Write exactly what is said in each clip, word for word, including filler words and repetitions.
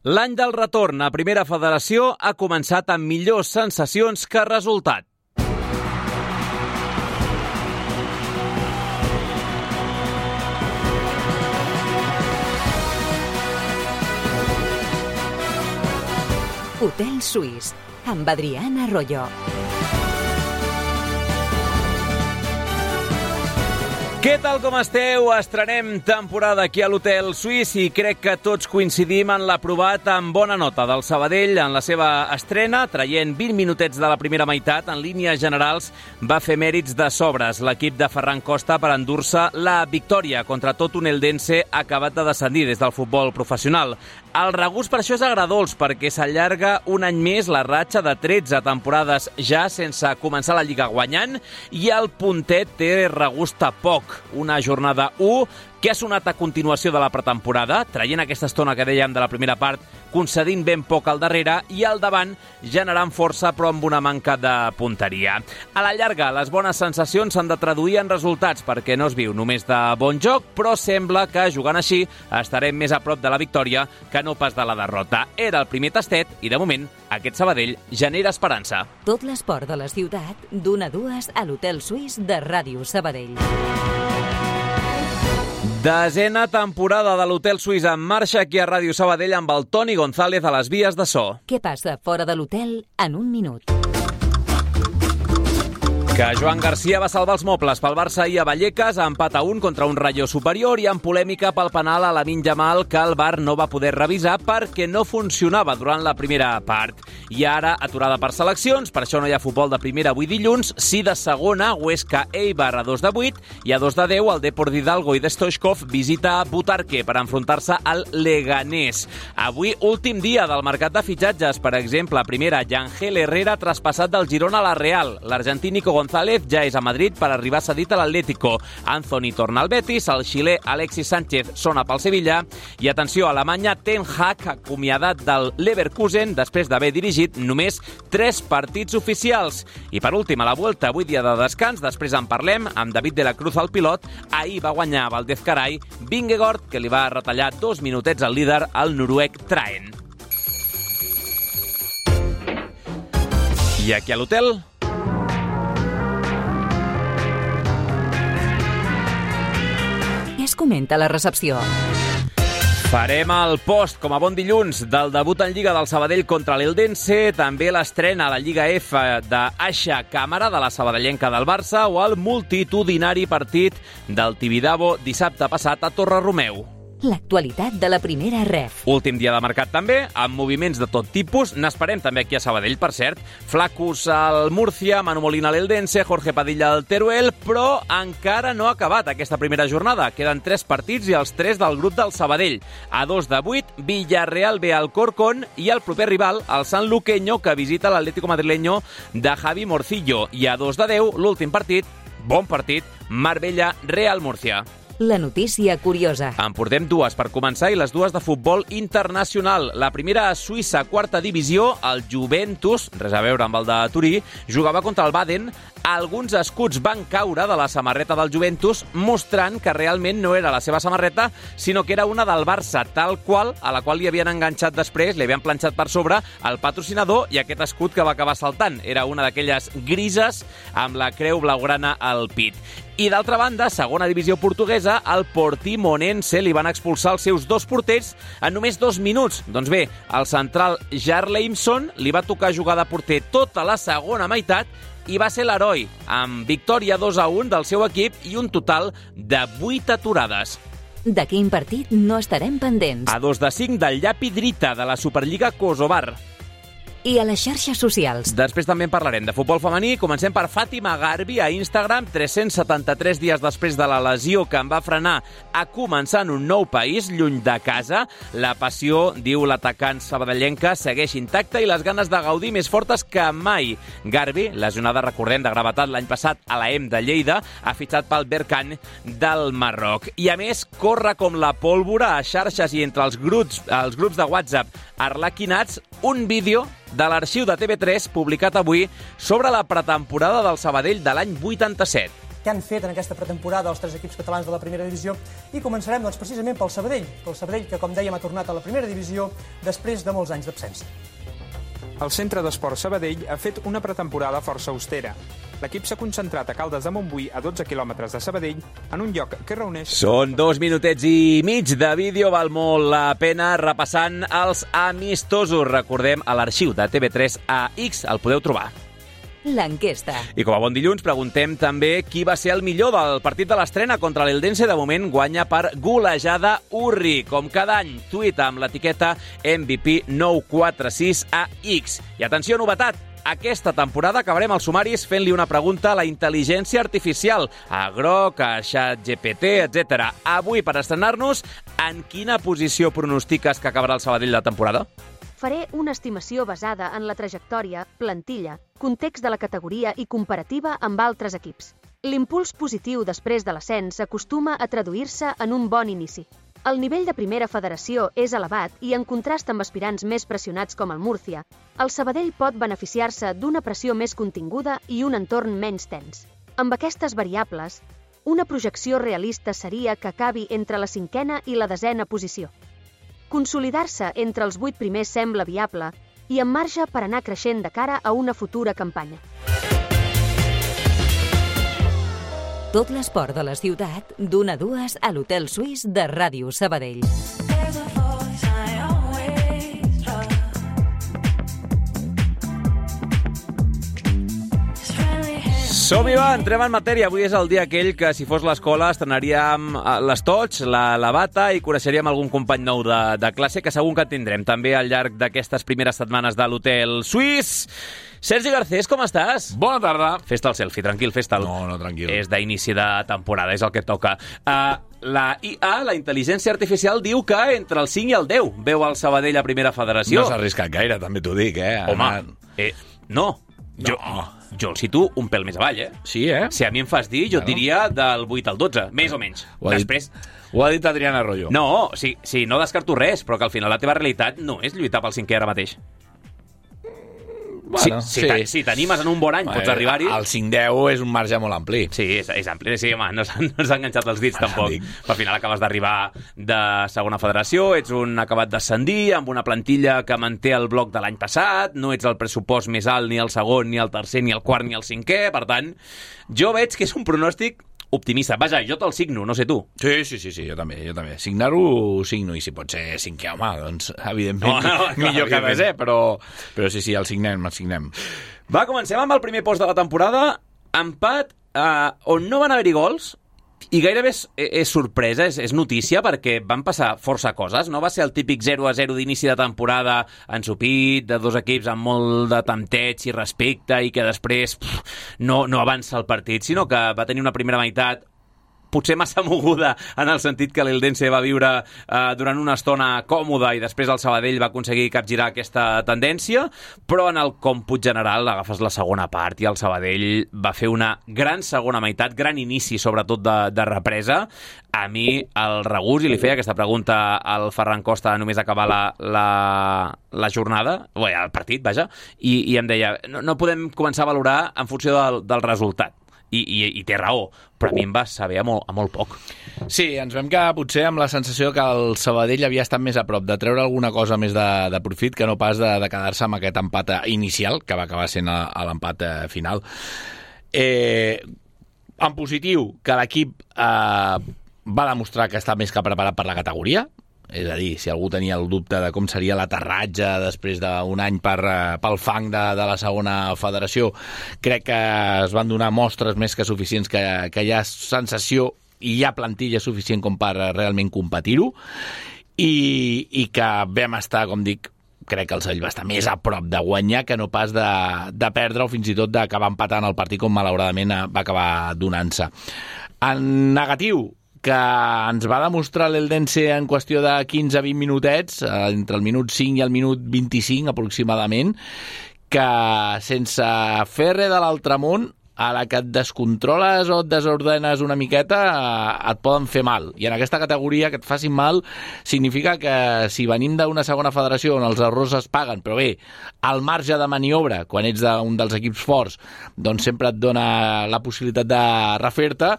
L'any del retorn a Primera Federació ha començat amb millors sensacions que resultat. Hotel Suís, amb Adrián Arroyo. Què tal com esteu? Estrenem temporada aquí a l'Hotel Suís i crec que tots coincidim en l'aprovat amb bona nota del Sabadell en la seva estrena, traient vint minutets de la primera meitat. En línies generals va fer mèrits de sobres l'equip de Ferran Costa per endur-se la victòria contra tot un Eldense acabat de descendir des del futbol professional. El regust per això és agradolç, perquè s'allarga un any més la ratxa de tretze temporades ja sense començar la Lliga guanyant i el puntet té regust a poc. Una jornada u que ha sonat a continuació de la pretemporada, traient aquesta estona que dèiem de la primera part, concedint ben poc al darrere i al davant generant força però amb una manca de punteria. A la llarga, les bones sensacions s'han de traduir en resultats perquè no es viu només de bon joc, però sembla que jugant així estarem més a prop de la victòria que no pas de la derrota. Era el primer tastet i de moment aquest Sabadell genera esperança. Tot l'esport de la ciutat d'una a dues a l'Hotel Suís de Ràdio Sabadell. Desena temporada de l'Hotel Suís en marxa aquí a Ràdio Sabadell amb el Toni González a les vies de so. Què passa fora de l'hotel en un minut? Que Joan Garcia va salvar els mobles pel Barça ahir a Vallecas, empat a un contra un Rayo superior i amb polèmica pel penal a Lamine Yamal que el V A R no va poder revisar perquè no funcionava durant la primera part. I ara, aturada per seleccions, per això no hi ha futbol de primera avui dilluns, sí de segona, Huesca Eibar a dos de vuit i a dos de deu el Depor d'Hidalgo i de Stoichkov visita Butarque per enfrontar-se al Leganés. Avui, últim dia del mercat de fitxatges, per exemple, primera, Yangel Herrera traspassat del Girona a la Real. L'argentí Nico González ja és a Madrid per arribar cedit a l'Atlético. Anthony torna al Betis, el xilè Alexis Sánchez sona pel Sevilla i atenció, a Alemanya Ten Hag acomiadat del Leverkusen després d'haver dirigit només tres partits oficials. I per últim, a la Vuelta, avui dia de descans, després en parlem amb David de la Cruz al pilot. Ahir va guanyar Valdez Carai, Vingegaard, que li va retallar dos minutets al líder, el noruec Traen. I aquí a l'hotel es comenta a la recepció. Farem el post, com a bon dilluns, del debut en Lliga del Sabadell contra l'Eldense, també l'estrena a la Lliga F d'Aixa Càmera, de la sabadellenca del Barça, o el multitudinari partit del Tibidabo dissabte passat a Torre-Romeu. L'actualitat de la primera ref. Últim dia de mercat també, amb moviments de tot tipus. N'esperem també aquí a Sabadell, per cert. Flacus al Murcia, Manu Molina a l'Eldense, Jorge Padilla al Teruel, però encara no ha acabat aquesta primera jornada. Queden tres partits i els tres del grup del Sabadell. A dos de vuit, Villarreal ve al Corcón i el proper rival, el Sanluqueño, que visita l'Atlético madrileño de Javi Morcillo. I a dos de deu, l'últim partit, bon partit, Marbella-Real Murcia. La notícia curiosa. En portem dues per començar i les dues de futbol internacional. La primera a Suïssa, quarta divisió, el Juventus, res a veure amb el de Turí, jugava contra el Baden. Alguns escuts van caure de la samarreta del Juventus, mostrant que realment no era la seva samarreta, sinó que era una del Barça, tal qual, a la qual li havien enganxat després, li havien planxat per sobre el patrocinador i aquest escut que va acabar saltant. Era una d'aquelles grises amb la creu blaugrana al pit. I d'altra banda, segona divisió portuguesa, al Portimonense li van expulsar els seus dos porters en només dos minuts. Doncs bé, el central Jarleimson li va tocar jugar de porter tota la segona meitat i va ser l'heroi, amb victòria dos a un del seu equip i un total de vuit aturades. De quin partit no estarem pendents? A dos de cinc del Llapi Drita, de la Superliga Kosovar. I a les xarxes socials. Després també en parlarem de futbol femení. Comencem per Fàtima Garbi a Instagram. tres-cents setanta-tres dies després de la lesió que em va frenar a començar en un nou país, lluny de casa. La passió, diu l'atacant sabadellenca, segueix intacta i les ganes de gaudir més fortes que mai. Garbi, lesionada, recordem, de gravetat l'any passat a la E M de Lleida, ha fitxat pel Berkane del Marroc. I a més, corre com la pólvora a xarxes i entre els grups, els grups de WhatsApp arlequinats un vídeo de l'arxiu de T V tres publicat avui sobre la pretemporada del Sabadell de l'any vuitanta-set. què han fet en aquesta pretemporada els tres equips catalans de la primera divisió, i començarem doncs, precisament pel Sabadell, pel Sabadell que, com dèiem, ha tornat a la primera divisió després de molts anys d'absència. El Centre d'Esports Sabadell ha fet una pretemporada força austera. L'equip s'ha concentrat a Caldes de Montbui, a dotze quilòmetres de Sabadell, en un lloc que reuneix... Són dos minutets i mig de vídeo, val molt la pena repassant els amistosos. Recordem, a l'arxiu de T V tres A X el podeu trobar. L'enquesta. I com a bon dilluns preguntem també qui va ser el millor del partit de l'estrena contra l'Eldense. De moment guanya per golejada Urri. Com cada any, tuit amb l'etiqueta M V P nou quatre sis A X. I atenció, novetat! Aquesta temporada acabarem els sumaris fent-li una pregunta a la intel·ligència artificial, a Grok, a ChatGPT, etcètera. Avui, per estrenar-nos, en quina posició pronostiques que acabarà el Sabadell la temporada? Faré una estimació basada en la trajectòria, plantilla, context de la categoria i comparativa amb altres equips. L'impuls positiu després de l'ascens acostuma a traduir-se en un bon inici. El nivell de primera federació és elevat i, en contrast amb aspirants més pressionats com el Múrcia, el Sabadell pot beneficiar-se d'una pressió més continguda i un entorn menys tens. Amb aquestes variables, una projecció realista seria que acabi entre la cinquena i la desena posició. Consolidar-se entre els vuit primers sembla viable i amb marge per anar creixent de cara a una futura campanya. Tot l'esport de la ciutat, d'una a dues a l'Hotel Suís de Ràdio Sabadell. Som-hi, va, entrem en matèria. Avui és el dia aquell que, si fos l'escola, estrenaríem les tots, la, la bata i coneixeríem algun company nou de, de classe, que segur que en tindrem també al llarg d'aquestes primeres setmanes de l'Hotel Suís. Sergi Garcés, com estàs? Bona tarda. Fes-te el selfie, tranquil, fes-te'l. No, no, tranquil. És d'inici de temporada, és el que toca. Uh, la I A, la intel·ligència artificial, diu que entre el cinc i el deu veu el Sabadell a primera federació. No s'ha arriscat gaire, també t'ho dic, eh? Home, Anant... eh, no. Jo, no. jo el situo un pèl més avall, eh? Sí, eh? Si a mi em fas dir, jo et diria del vuit al dotze, més o menys. Ho ha Després... dit, ho ha dit Adriana Arroyo. No, sí, sí, no descarto res, però que al final la teva realitat no és lluitar pel cinquè ara mateix. Bueno, si, sí. si, si t'animes en un bon any, pots arribar-hi. El cinc deu és un marge molt ampli. Sí, és, és ampli. Sí, home, no s'han no enganxat els dits, tampoc. Dic. Al final acabes d'arribar de segona federació, ets un acabat d'ascendir, amb una plantilla que manté el bloc de l'any passat, no ets el pressupost més alt ni el segon, ni el tercer, ni el quart, ni el cinquè. Per tant, jo veig que és un pronòstic optimista. Vaja, jo te'l signo, no sé tu. Sí, sí, sí, sí, jo també, jo també. Signar-ho signo, i si pot ser cinquè, home, doncs, evidentment, no, no, millor clar, que desè, però, però sí, sí, el signem, el signem. Va, comencem amb el primer post de la temporada. Empat, eh, on no van haver-hi gols, i gairebé és, és sorpresa, és, és notícia, perquè van passar força coses. No va ser el típic zero a zero d'inici de temporada ensopit, de dos equips amb molt de tempteig i respecte, i que després pff, no, no avança el partit, sinó que va tenir una primera meitat potser massa moguda, en el sentit que l'Eldense va viure eh, durant una estona còmoda i després el Sabadell va aconseguir capgirar aquesta tendència, però en el còmput general agafes la segona part i el Sabadell va fer una gran segona meitat, gran inici sobretot de, de represa. A mi el regús, i li feia aquesta pregunta al Ferran Costa només acabar la, la, la jornada, bé, el partit, vaja, i, i em deia, no, no podem començar a valorar en funció del, del resultat. I, i, i té raó, però a mi em va saber a molt, a molt poc. Sí, ens vam quedar potser amb la sensació que el Sabadell havia estat més a prop de treure alguna cosa més de, de profit que no pas de, de quedar-se amb aquest empat inicial, que va acabar sent a, a l'empat final. Eh, en positiu, que l'equip eh, va demostrar que està més que preparat per la categoria. És a dir, si algú tenia el dubte de com seria l'aterratge després d'un any per, pel fang de, de la segona federació, crec que es van donar mostres més que suficients que, que hi ha sensació i hi ha plantilla suficient com per realment competir-ho, i, i que vam estar, com dic, crec que el Sabadell va estar més a prop de guanyar que no pas de, de perdre o fins i tot d'acabar empatant el partit com malauradament va acabar donant-se. En negatiu, que ens va demostrar l'Eldense en qüestió de quinze a vint minutets, entre el minut cinc i el minut vint-i-cinc aproximadament, que sense fer res de l'altre món a la que et descontroles o et desordenes una miqueta, et poden fer mal. I en aquesta categoria, que et facin mal, significa que si venim d'una segona federació on els errors es paguen, però bé, el marge de maniobra, quan ets d'un dels equips forts, doncs sempre et dona la possibilitat de refer-te,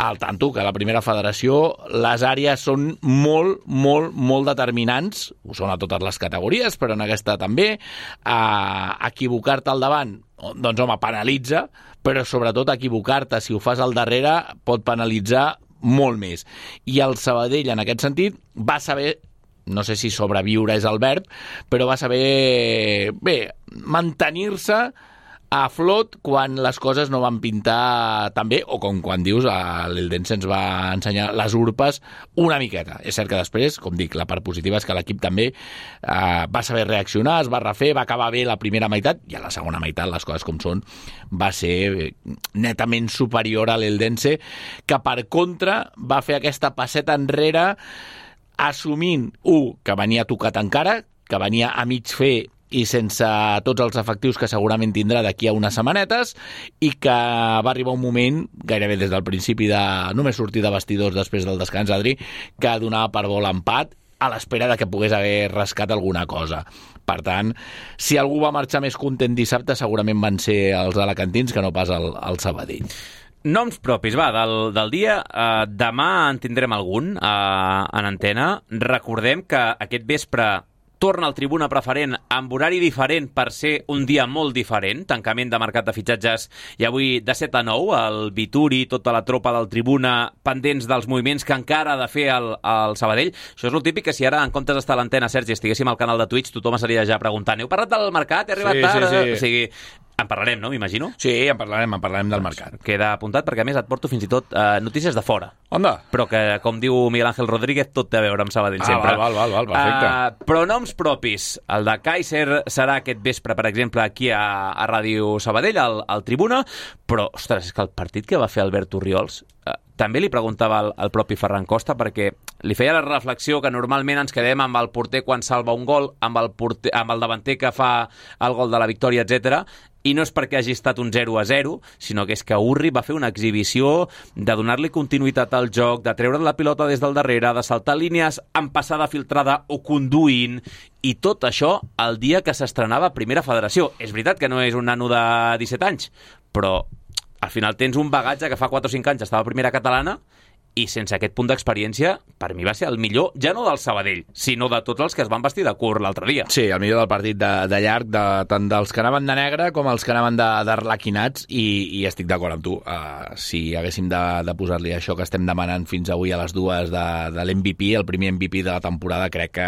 al tanto que a la primera federació les àrees són molt, molt, molt determinants, ho són a totes les categories, però en aquesta també, a equivocar-te al davant, doncs home, penalitza, però sobretot equivocar-te si ho fas al darrere pot penalitzar molt més. I el Sabadell, en aquest sentit, va saber, no sé si sobreviure és el verb, però va saber, bé, mantenir-se a flot quan les coses no van pintar tan bé, o com quan dius, l'Eldense ens va ensenyar les urpes una miqueta. És cert que després, com dic, la part positiva és que l'equip també eh, va saber reaccionar, es va refer, va acabar bé la primera meitat, i a la segona meitat, les coses com són, va ser netament superior a l'Eldense, que per contra va fer aquesta passeta enrere assumint, un, que venia tocat encara, que venia a mig fer i sense tots els efectius que segurament tindrà d'aquí a unes setmanetes, i que va arribar un moment, gairebé des del principi de només sortir de vestidors després del descans, Adri, que donava per bo l'empat a l'espera de que pogués haver rascat alguna cosa. Per tant, si algú va marxar més content dissabte, segurament van ser els alacantins que no pas el, el Sabadell. Noms propis, va, del, del dia. Uh, demà en tindrem algun uh, en antena. Recordem que aquest vespre torna al Tribuna Preferent amb horari diferent per ser un dia molt diferent, tancament de mercat de fitxatges, i avui de set a nou, el Vituri, tota la tropa del Tribuna, pendents dels moviments que encara ha de fer el, el Sabadell. Això és el típic que si ara, en comptes d'estar a l'antena, Sergi, estiguéssim al canal de Twitch, tothom estaria ja preguntant, heu parlat del mercat? He arribat sí, tard? Sí, sí. O sigui, en parlarem, no? M'imagino? Sí, en parlarem, en parlarem del mercat. Queda apuntat perquè, a més, et porto fins i tot eh, notícies de fora. Onda? Però que, com diu Miguel Ángel Rodríguez, tot té a veure amb Sabadell ah, sempre. Val, val, val, perfecte. Uh, però noms propis. El de Kaiser serà aquest vespre, per exemple, aquí a, a Ràdio Sabadell, al, al Tribuna, però, ostres, és que el partit que va fer Albert Orriols uh, també li preguntava al, al propi Ferran Costa, perquè li feia la reflexió que normalment ens quedem amb el porter quan salva un gol, amb el, porter, amb el davanter que fa el gol de la victòria, etcètera. I no és perquè hagi estat un zero a zero, sinó que és que Urri va fer una exhibició de donar-li continuïtat al joc, de treure la pilota des del darrere, de saltar línies amb passada filtrada o conduint, i tot això el dia que s'estrenava Primera Federació. És veritat que no és un nano de disset anys, però al final tens un bagatge que fa quatre o cinc anys estava a Primera Catalana, i sense aquest punt d'experiència, per mi va ser el millor, ja no del Sabadell, sinó de tots els que es van vestir de curt l'altre dia. Sí, el millor del partit de, de llarg, de, tant dels que anaven de negre com els que anaven d'arlequinats, i, i estic d'acord amb tu. Uh, si haguéssim de, de posar-li això que estem demanant fins avui a les dues de, de l'M V P, el primer M V P de la temporada, crec que,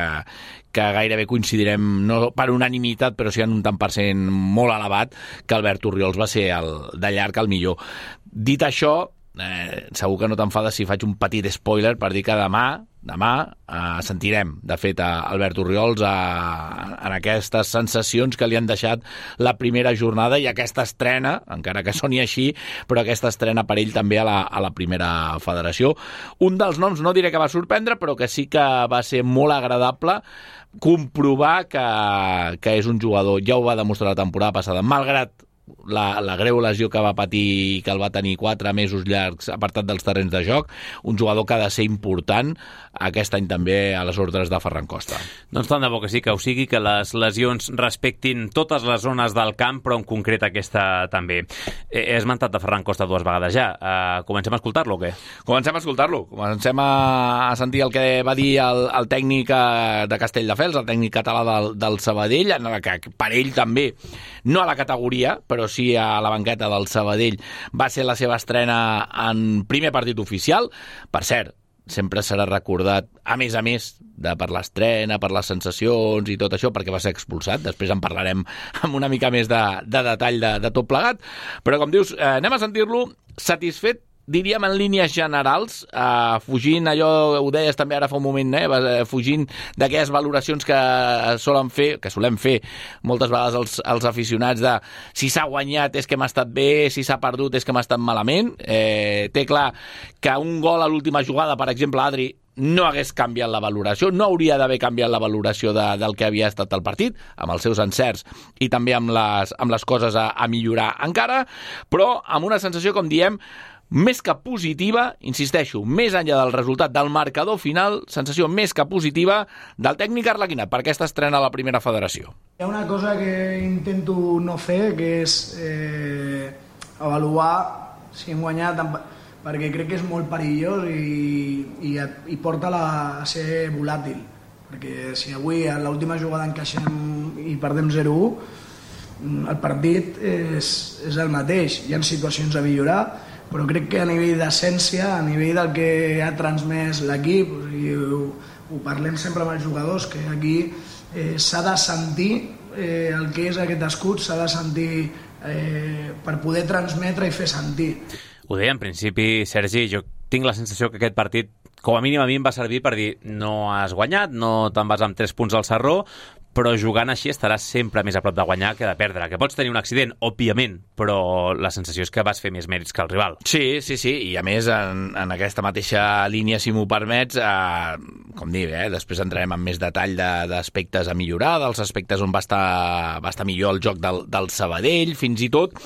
que gairebé coincidirem, no per unanimitat, però sí en un tant per cent molt elevat, que Albert Orriols va ser el, de llarg el millor. Dit això, Eh, segur que no t'enfades si faig un petit spoiler per dir que demà demà eh, sentirem, de fet, a Albert Orriols a, en aquestes sensacions que li han deixat la primera jornada i aquesta estrena, encara que soni així, però aquesta estrena per ell també a la, a la primera federació. Un dels noms, no diré que va sorprendre, però que sí que va ser molt agradable comprovar que, que és un jugador, ja ho va demostrar la temporada passada, malgrat La, la greu lesió que va patir i que el va tenir quatre mesos llargs apartat dels terrenys de joc, un jugador que ha de ser important aquest any també a les ordres de Ferran Costa. Doncs tant de bo que sí, que ho sigui, que les lesions respectin totes les zones del camp, però en concret aquesta també. He esmentat de Ferran Costa dues vegades ja. Uh, comencem a escoltar-lo o què? Comencem a escoltar-lo. Comencem a, a sentir el que va dir el, el tècnic de Castelldefels, el tècnic català del, del Sabadell, en el que per ell també, no a la categoria, però sí a la banqueta del Sabadell, va ser la seva estrena en primer partit oficial. Per cert, sempre serà recordat, a més a més, de per l'estrena, per les sensacions i tot això, perquè va ser expulsat. Després en parlarem amb una mica més de, de detall de, de tot plegat. Però, com dius, eh, anem a sentir-lo satisfet, diríem en línies generals, eh, fugint allò, ho deies també ara fa un moment, eh, fugint d'aquelles valoracions que solen fer, que solem fer moltes vegades els, els aficionats de si s'ha guanyat és que hem estat bé, si s'ha perdut és que hem estat malament. Eh, té clar que un gol a l'última jugada, per exemple, Adri, no hagués canviat la valoració, no hauria d'haver canviat la valoració de, del que havia estat el partit, amb els seus encerts i també amb les, amb les coses a, a millorar encara, però amb una sensació, com diem, més que positiva, insisteixo, més enllà del resultat del marcador final, sensació més que positiva del tècnic arlequinat per aquesta estrena a la primera federació. Hi ha una cosa que intento no fer, que és eh, avaluar si hem guanyat, perquè crec que és molt perillós i, i, i porta la, a ser volàtil. Perquè si avui a l'última jugada encaixem i perdem zero a u, el partit és, és el mateix. Hi ha situacions a millorar, però crec que a nivell d'essència, a nivell del que ha transmès l'equip, i ho, ho parlem sempre amb els jugadors, que aquí eh, s'ha de sentir eh, el que és aquest escut, s'ha de sentir eh, per poder transmetre i fer sentir. Ho deia en principi, Sergi, jo tinc la sensació que aquest partit, com a mínim a mi em va servir per dir no has guanyat, no te'n vas amb tres punts al Sarró, però jugant així estaràs sempre més a prop de guanyar que de perdre. Que pots tenir un accident, òbviament, però la sensació és que vas fer més mèrits que el rival. Sí, sí, sí, i a més en, en aquesta mateixa línia, si m'ho permets, eh, com dir, eh, després entrarem en més detall de, d'aspectes a millorar, dels aspectes on va estar, va estar millor el joc del, del Sabadell, fins i tot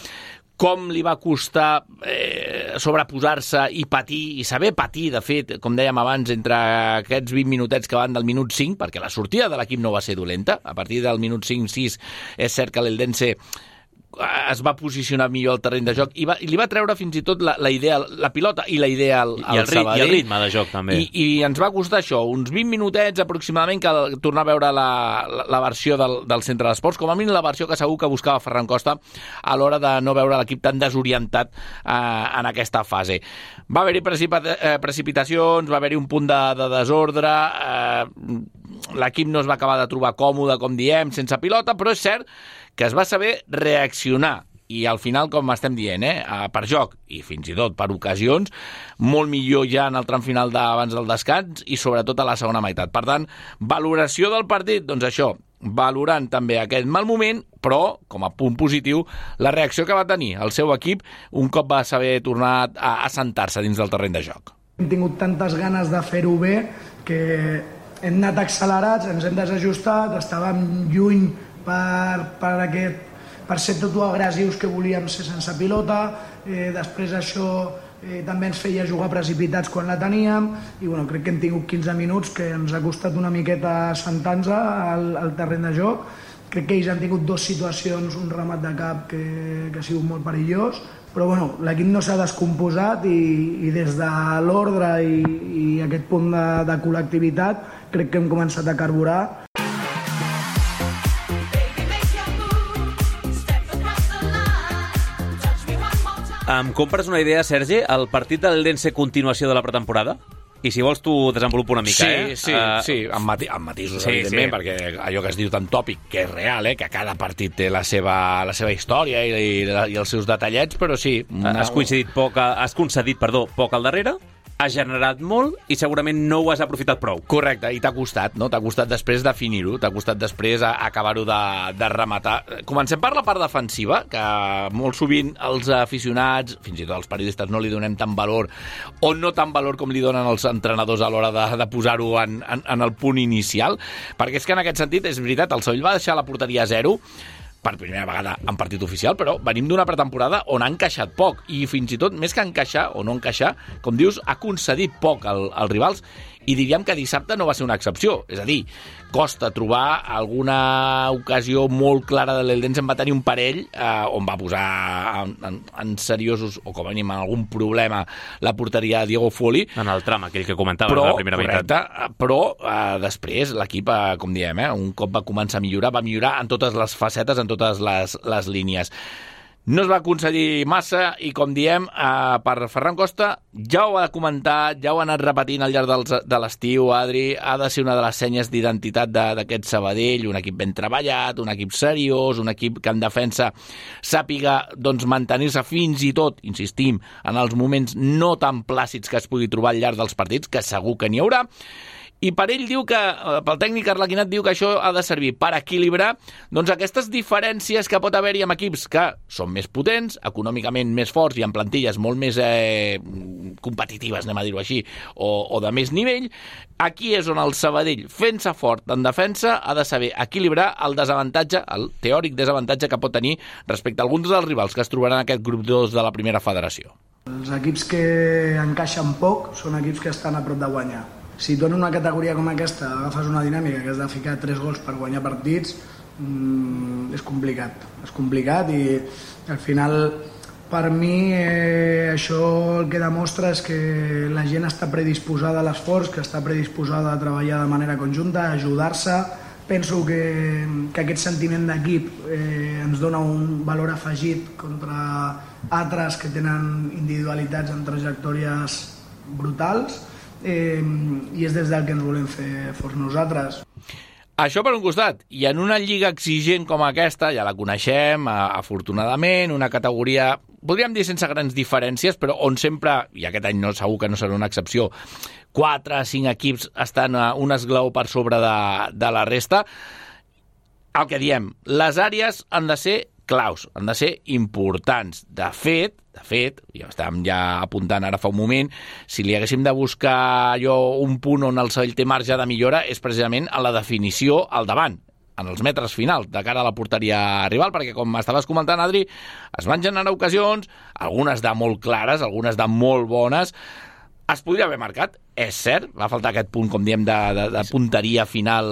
com li va costar eh, sobreposar-se i patir, i saber patir, de fet, com dèiem abans, entre aquests vint minutets que van del minut cinc, perquè la sortida de l'equip no va ser dolenta. A partir del minut cinc sis és cert que l'Eldense es va posicionar millor al terreny de joc i, va, i li va treure fins i tot la, la idea, la pilota i la idea al, al I el, Sabadell. I el ritme de joc, també. I, I ens va costar això, uns vint minutets aproximadament, que tornar a veure la, la, la versió del, del centre d'esports, com a mínim la versió que segur que buscava Ferran Costa a l'hora de no veure l'equip tan desorientat eh, en aquesta fase. Va haver-hi precipita- eh, precipitacions, va haver-hi un punt de, de desordre, eh, l'equip no es va acabar de trobar còmode, com diem, sense pilota, però és cert que es va saber reaccionar i al final, com estem dient, eh, per joc i fins i tot per ocasions, molt millor ja en el tram final d'abans del descans i sobretot a la segona meitat. Per tant, valoració del partit, doncs això, valorant també aquest mal moment, però, com a punt positiu, la reacció que va tenir el seu equip un cop va saber tornar a assentar-se dins del terreny de joc. Hem tingut tantes ganes de fer-ho bé que hem anat accelerats, ens hem desajustat, estàvem lluny per, per, aquest, per ser tot agressius que volíem ser sense pilota, eh, després això eh, també ens feia jugar precipitats quan la teníem i bueno, crec que hem tingut quinze minuts que ens ha costat una miqueta assentar-nos al, al terreny de joc. Crec que ells han tingut dues situacions, un remat de cap que, que ha sigut molt perillós, però bueno, l'equip no s'ha descomposat i, i des de l'ordre i, i aquest punt de, de col·lectivitat crec que hem començat a carburar. Em compres una idea, Sergi? El partit de l'Eldense continuació de la pretemporada? I si vols tu desenvolupa una mica, sí, eh? Sí, uh, sí, amb, mati amb matisos, sí, evidentment, sí. Perquè allò que es diu tan tòpic, que és real, eh? Que cada partit té la seva, la seva història i, i, i els seus detallets, però sí. Una... Has coincidit poc, has concedit, perdó, poc al darrere, has generat molt i segurament no ho has aprofitat prou. Correcte, i t'ha costat, no? T'ha costat després definir-ho, t'ha costat després acabar-ho de, de rematar. Comencem per la part defensiva, que molt sovint els aficionats, fins i tot els periodistes, no li donem tant valor, o no tant valor com li donen els entrenadors a l'hora de, de posar-ho en, en, en el punt inicial, perquè és que en aquest sentit, és veritat, el Sevilla va deixar la porteria a zero, per primera vegada en partit oficial, però venim d'una pretemporada on ha encaixat poc i fins i tot, més que encaixar o no encaixar, com dius, ha concedit poc al, als rivals i diríem que dissabte no va ser una excepció. És a dir, costa trobar alguna ocasió molt clara de l'Eldense. En va tenir un parell eh, on va posar en, en, en seriosos, o com a mínim en algun problema, la porteria de Diego Folli. En el tram, aquell que comentava però, en la primera meitat. Correcte, però eh, després l'equip, eh, com diem, eh, un cop va començar a millorar, va millorar en totes les facetes, en totes les, les línies. No es va aconseguir massa i, com diem, eh, per Ferran Costa ja ho ha comentat, ja ho ha anat repetint al llarg dels, de l'estiu, Adri, ha de ser una de les senyes d'identitat d'aquest Sabadell, un equip ben treballat, un equip seriós, un equip que en defensa sàpiga doncs, mantenir-se fins i tot, insistim, en els moments no tan plàcids que es pugui trobar al llarg dels partits, que segur que n'hi haurà, I per ell diu que, pel tècnic Arlequinat, diu que això ha de servir per equilibrar doncs, aquestes diferències que pot haver-hi amb equips que són més potents, econòmicament més forts i amb plantilles molt més eh, competitives, anem a dir-ho així, o, o de més nivell. Aquí és on el Sabadell, fent-se fort en defensa, ha de saber equilibrar el desavantatge, el teòric desavantatge que pot tenir respecte a alguns dels rivals que es trobaran en aquest grup dos de la primera federació. Els equips que encaixen poc són equips que estan a prop de guanyar. Si tu en una categoria com aquesta agafes una dinàmica que has de ficar tres gols per guanyar partits, mmm, és complicat. És complicat i al final, per mi, eh, això el que demostra és que la gent està predisposada a l'esforç, que està predisposada a treballar de manera conjunta, a ajudar-se. Penso que, que aquest sentiment d'equip eh, ens dona un valor afegit contra altres que tenen individualitats en trajectòries brutals eh, i és des del que ens volem fer forts nosaltres. Això per un costat, i en una lliga exigent com aquesta, ja la coneixem, afortunadament, una categoria, podríem dir sense grans diferències, però on sempre, i aquest any no, segur que no serà una excepció, quatre, cinc equips estan a un esglaó per sobre de, de la resta. El que diem, les àrees han de ser claus, han de ser importants. De fet, de fet, ja estàvem ja apuntant ara fa un moment, si li haguéssim de buscar allò un punt on el Sabadell té marge de millora és precisament a la definició al davant, en els metres finals, de cara a la porteria rival, perquè com estaves comentant, Adri, es van generar ocasions, algunes de molt clares, algunes de molt bones. Es podria haver marcat, és cert, va faltar aquest punt, com diem, de, de, de punteria final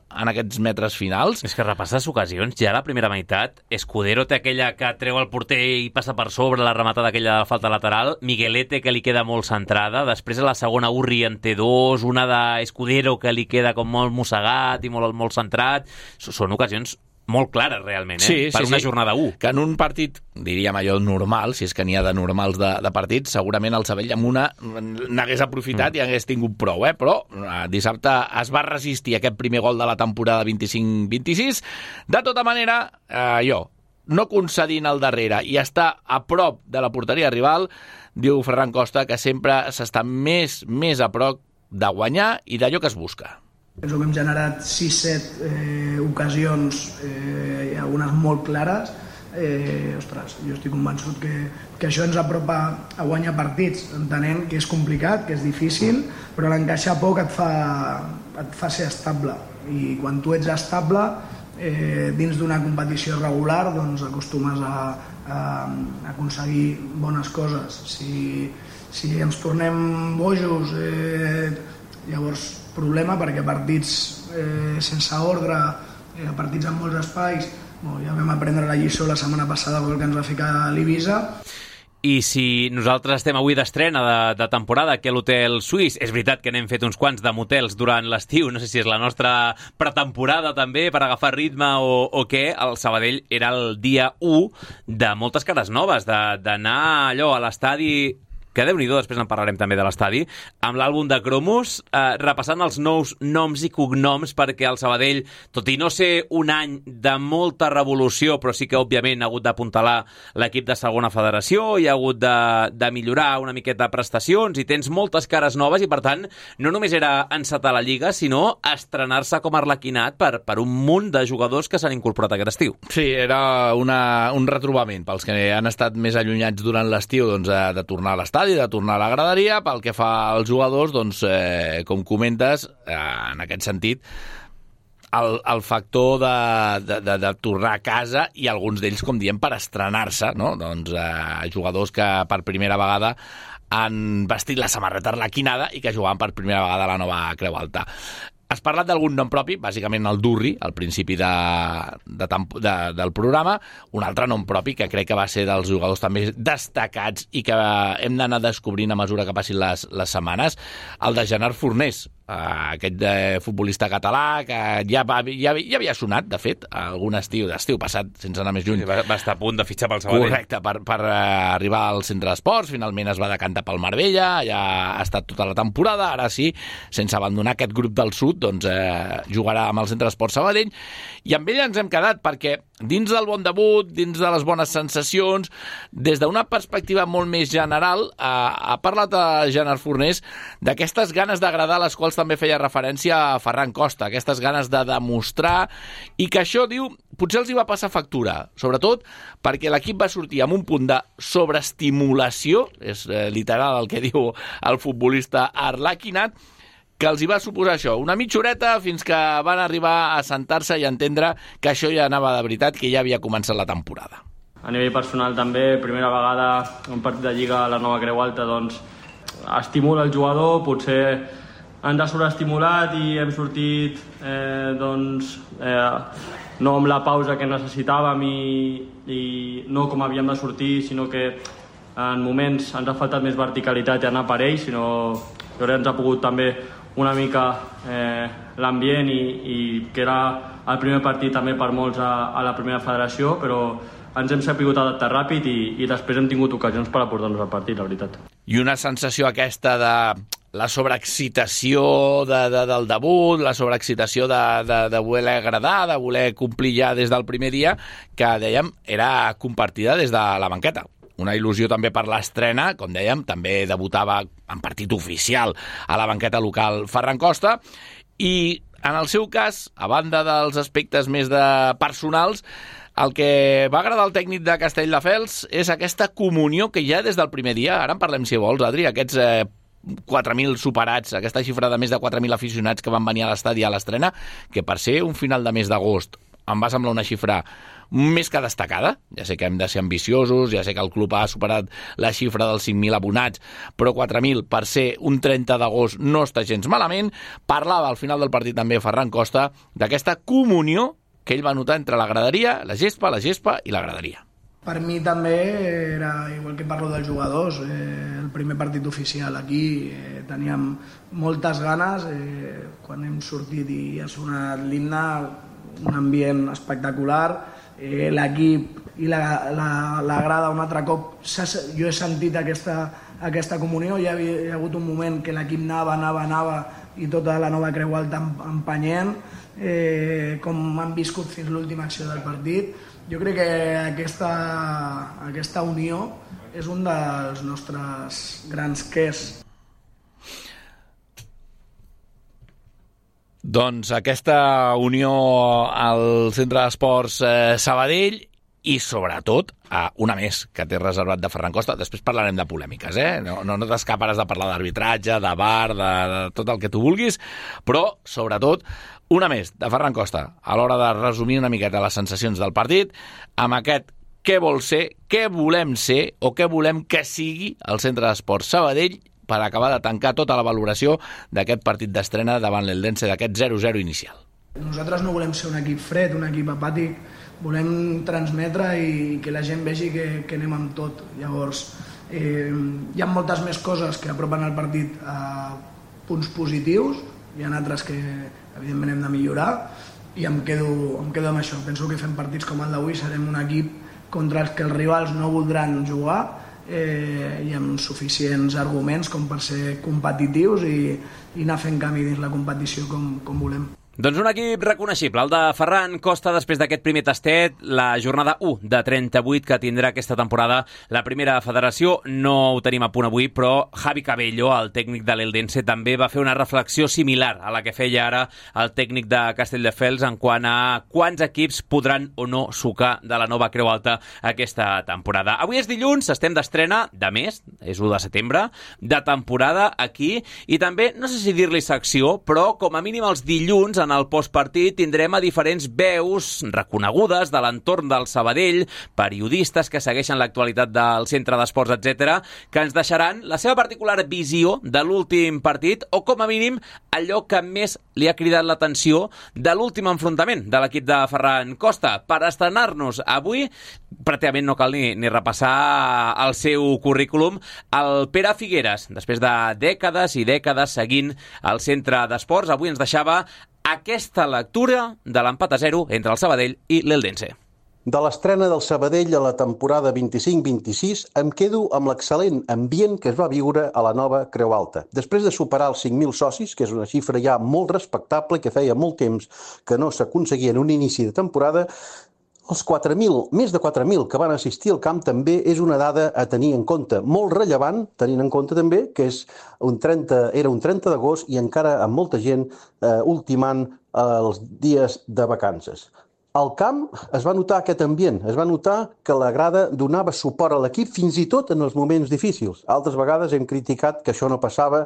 en aquests metres finals. És que repasses ocasions, ja a la primera meitat, Escudero té aquella que treu el porter i passa per sobre la rematada d'aquella falta lateral, Miguelete que li queda molt centrada, després a la segona Urri en té dos, una d'Escudero que li queda com molt mossegat i molt, molt centrat. Són ocasions molt clares, realment, eh? Sí, per sí, una sí. jornada u. Que en un partit, diríem allò normal, si és que n'hi ha de normals de, de partits, segurament el Sabadell amb una n'hagués aprofitat mm. i hagués tingut prou, eh? Però eh, dissabte es va resistir aquest primer gol de la temporada vint-i-cinc vint-i-sis. De tota manera, eh, jo, no concedint al darrere i estar a prop de la porteria rival, diu Ferran Costa que sempre s'està més, més a prop de guanyar i d'allò que es busca. Penso que hem generat sis set eh, ocasions, eh, i algunes molt clares. Eh, ostres, jo estic convençut que, que això ens apropa a guanyar partits, entenent que és complicat, que és difícil, però l'encaixar poc et fa, et fa ser estable. I quan tu ets estable, eh, dins d'una competició regular, doncs acostumes a, a, a aconseguir bones coses. Si, si ens tornem bojos, eh, llavors problema, perquè partits eh, sense ordre, eh, partits amb molts espais, bueno, ja vam aprendre la lliçó la setmana passada pel que ens va ficar l'Ibiza. I si nosaltres estem avui d'estrena de, de temporada aquí a l'Hotel Suís, és veritat que n'hem fet uns quants de motels durant l'estiu, no sé si és la nostra pretemporada també per agafar ritme o, o què, el Sabadell era el dia u de moltes cares noves, d'anar allò a l'estadi, que Déu-n'hi-do, després en parlarem també de l'estadi, amb l'àlbum de cromos, eh, repassant els nous noms i cognoms, perquè el Sabadell, tot i no ser un any de molta revolució, però sí que, òbviament, ha hagut d'apuntalar l'equip de segona federació, i ha hagut de, de millorar una miqueta prestacions, i tens moltes cares noves, i, per tant, no només era encetar la Lliga, sinó estrenar-se com Arlequinat per, per un munt de jugadors que s'han incorporat aquest estiu. Sí, era una, un retrobament pels que han estat més allunyats durant l'estiu, doncs, de, de tornar a l'estadi, i de tornar a la graderia. Pel que fa als jugadors, doncs, eh, com comentes, eh, en aquest sentit, el, el factor de, de, de, de tornar a casa, i alguns d'ells, com diem, per estrenar-se, no? Doncs, eh, jugadors que per primera vegada han vestit la samarreta arlequinada i que jugaven per primera vegada a la nova Creu Alta. Has parlat d'algun nom propi, bàsicament el Durri, al principi de, de, de, del programa, un altre nom propi que crec que va ser dels jugadors també destacats i que hem d'anar descobrint a mesura que passin les, les setmanes, el de Gerard Fornés, aquest eh, futbolista català que ja, va, ja, ja havia sonat, de fet, algun estiu, d'estiu passat, sense anar més lluny. Va, va estar a punt de fitxar pel Sabadell. Correcte, per, per uh, arribar al centre d'esports, finalment es va decantar pel Marbella, ja ha estat tota la temporada, ara sí, sense abandonar aquest grup del sud, doncs eh, jugarà amb el centre d'esports Sabadell, i amb ell ens hem quedat perquè dins del bon debut, dins de les bones sensacions, des d'una perspectiva molt més general, ha, ha parlat a Gerard Fornés d'aquestes ganes d'agradar, a les quals també feia referència a Ferran Costa, aquestes ganes de demostrar, i que això, diu, potser els hi va passar factura, sobretot perquè l'equip va sortir amb un punt de sobreestimulació, és eh, literal el que diu el futbolista Arlaquinat, que els hi va suposar això, una mitja horeta fins que van arribar a sentar-se i a entendre que això ja anava de veritat, que ja havia començat la temporada. A nivell personal també, primera vegada un partit de Lliga a la nova Creu Alta, doncs estimula el jugador, potser ens ha sobreestimulat i hem sortit eh, doncs, eh, no amb la pausa que necessitàvem i, i no com havíem de sortir, sinó que en moments ens ha faltat més verticalitat i anar per ells, sinó que jo crec que ens ha pogut també una mica eh, l'ambient i, i que era el primer partit també per molts a, a la primera federació, però ens hem sabut adaptar ràpid i, i després hem tingut ocasions per aportar-nos al partit, la veritat. I una sensació aquesta de la sobreexcitació de, de, del debut, la sobreexcitació de, de, de voler agradar, de voler complir ja des del primer dia, que, dèiem, era compartida des de la banqueta. Una il·lusió també per l'estrena, com dèiem, també debutava en partit oficial a la banqueta local Ferran Costa, i en el seu cas, a banda dels aspectes més de personals, el que va agradar al tècnic de Castelldefels és aquesta comunió que ja des del primer dia, ara en parlem si vols, Adri, aquests eh, quatre mil superats, aquesta xifra de més de quatre mil aficionats que van venir a l'estadi a l'estrena, que per ser un final de mes d'agost em va semblar una xifra més que destacada. Ja sé que hem de ser ambiciosos, ja sé que el club ha superat la xifra dels cinc mil abonats, però quatre mil per ser un trenta d'agost no està gens malament. Parlava al final del partit també Ferran Costa d'aquesta comunió que ell va notar entre la graderia, la gespa, la gespa i la graderia. Per mi també era, igual que parlo dels jugadors, eh, el primer partit oficial aquí, eh, teníem moltes ganes, eh, quan hem sortit i ha sonat l'himne, un ambient espectacular, eh, l'equip i la, la, la grada un altre cop, jo he sentit aquesta, aquesta comunió, hi ha, hi ha hagut un moment que l'equip anava, anava, anava i tota la nova Creu Alta empenyent, eh, com han viscut fins l'última acció del partit. Jo crec que aquesta, aquesta unió és un dels nostres grans quers. Doncs aquesta unió al Centre d'Esports eh, Sabadell i, sobretot, eh, una més que té reservat de Ferran Costa. Després parlarem de polèmiques, eh? No, no, no t'escaparàs de parlar d'arbitratge, de V A R, de, de tot el que tu vulguis, però, sobretot, una més de Ferran Costa a l'hora de resumir una miqueta les sensacions del partit amb aquest què vol ser, què volem ser o què volem que sigui el Centre d'Esports Sabadell per acabar de tancar tota la valoració d'aquest partit d'estrena davant l'Eldense, d'aquest zero zero inicial. Nosaltres no volem ser un equip fred, un equip apàtic, volem transmetre i que la gent vegi que, que anem amb tot. Llavors, eh, hi ha moltes més coses que apropen el partit a punts positius, hi ha altres que evidentment hem de millorar i em quedo, em quedo amb això. Penso que fem partits com el d'avui serem un equip contra els que els rivals no voldran jugar, eh, i amb suficients arguments com per ser competitius i, i anar fent camí dins la competició com, com volem. Doncs un equip reconeixible, el de Ferran Costa, després d'aquest primer tastet, la jornada u de trenta-vuit que tindrà aquesta temporada la primera federació. No ho tenim a punt avui, però Javi Cabello, el tècnic de l'Eldense, també va fer una reflexió similar a la que feia ara el tècnic de Castelldefels en quant a quants equips podran o no sucar de la nova Creu Alta aquesta temporada. Avui és dilluns, estem d'estrena de mes, és u de setembre, de temporada aquí, i també, no sé si dir-li secció, però com a mínim els dilluns en el postpartit tindrem a diferents veus reconegudes de l'entorn del Sabadell, periodistes que segueixen l'actualitat del Centre d'Esports, etcètera, que ens deixaran la seva particular visió de l'últim partit o, com a mínim, allò que més li ha cridat l'atenció de l'últim enfrontament de l'equip de Ferran Costa. Per estrenar-nos avui, pràcticament no cal ni, ni repassar el seu currículum, el Pere Figueres, després de dècades i dècades seguint el Centre d'Esports, avui ens deixava aquesta lectura de l'empat a zero entre el Sabadell i l'Eldense. De l'estrena del Sabadell a la temporada vint-i-cinc vint-i-sis em quedo amb l'excel·lent ambient que es va viure a la nova Creu Alta. Després de superar els cinc mil socis, que és una xifra ja molt respectable, que feia molt temps que no s'aconseguia en un inici de temporada, Els quatre mil, més de quatre mil que van assistir al camp també és una dada a tenir en compte, molt rellevant, tenint en compte també que és un trenta, era un trenta d'agost i encara amb molta gent eh, ultimant eh, els dies de vacances. Al camp es va notar aquest ambient, es va notar que la grada donava suport a l'equip fins i tot en els moments difícils. Altres vegades hem criticat que això no passava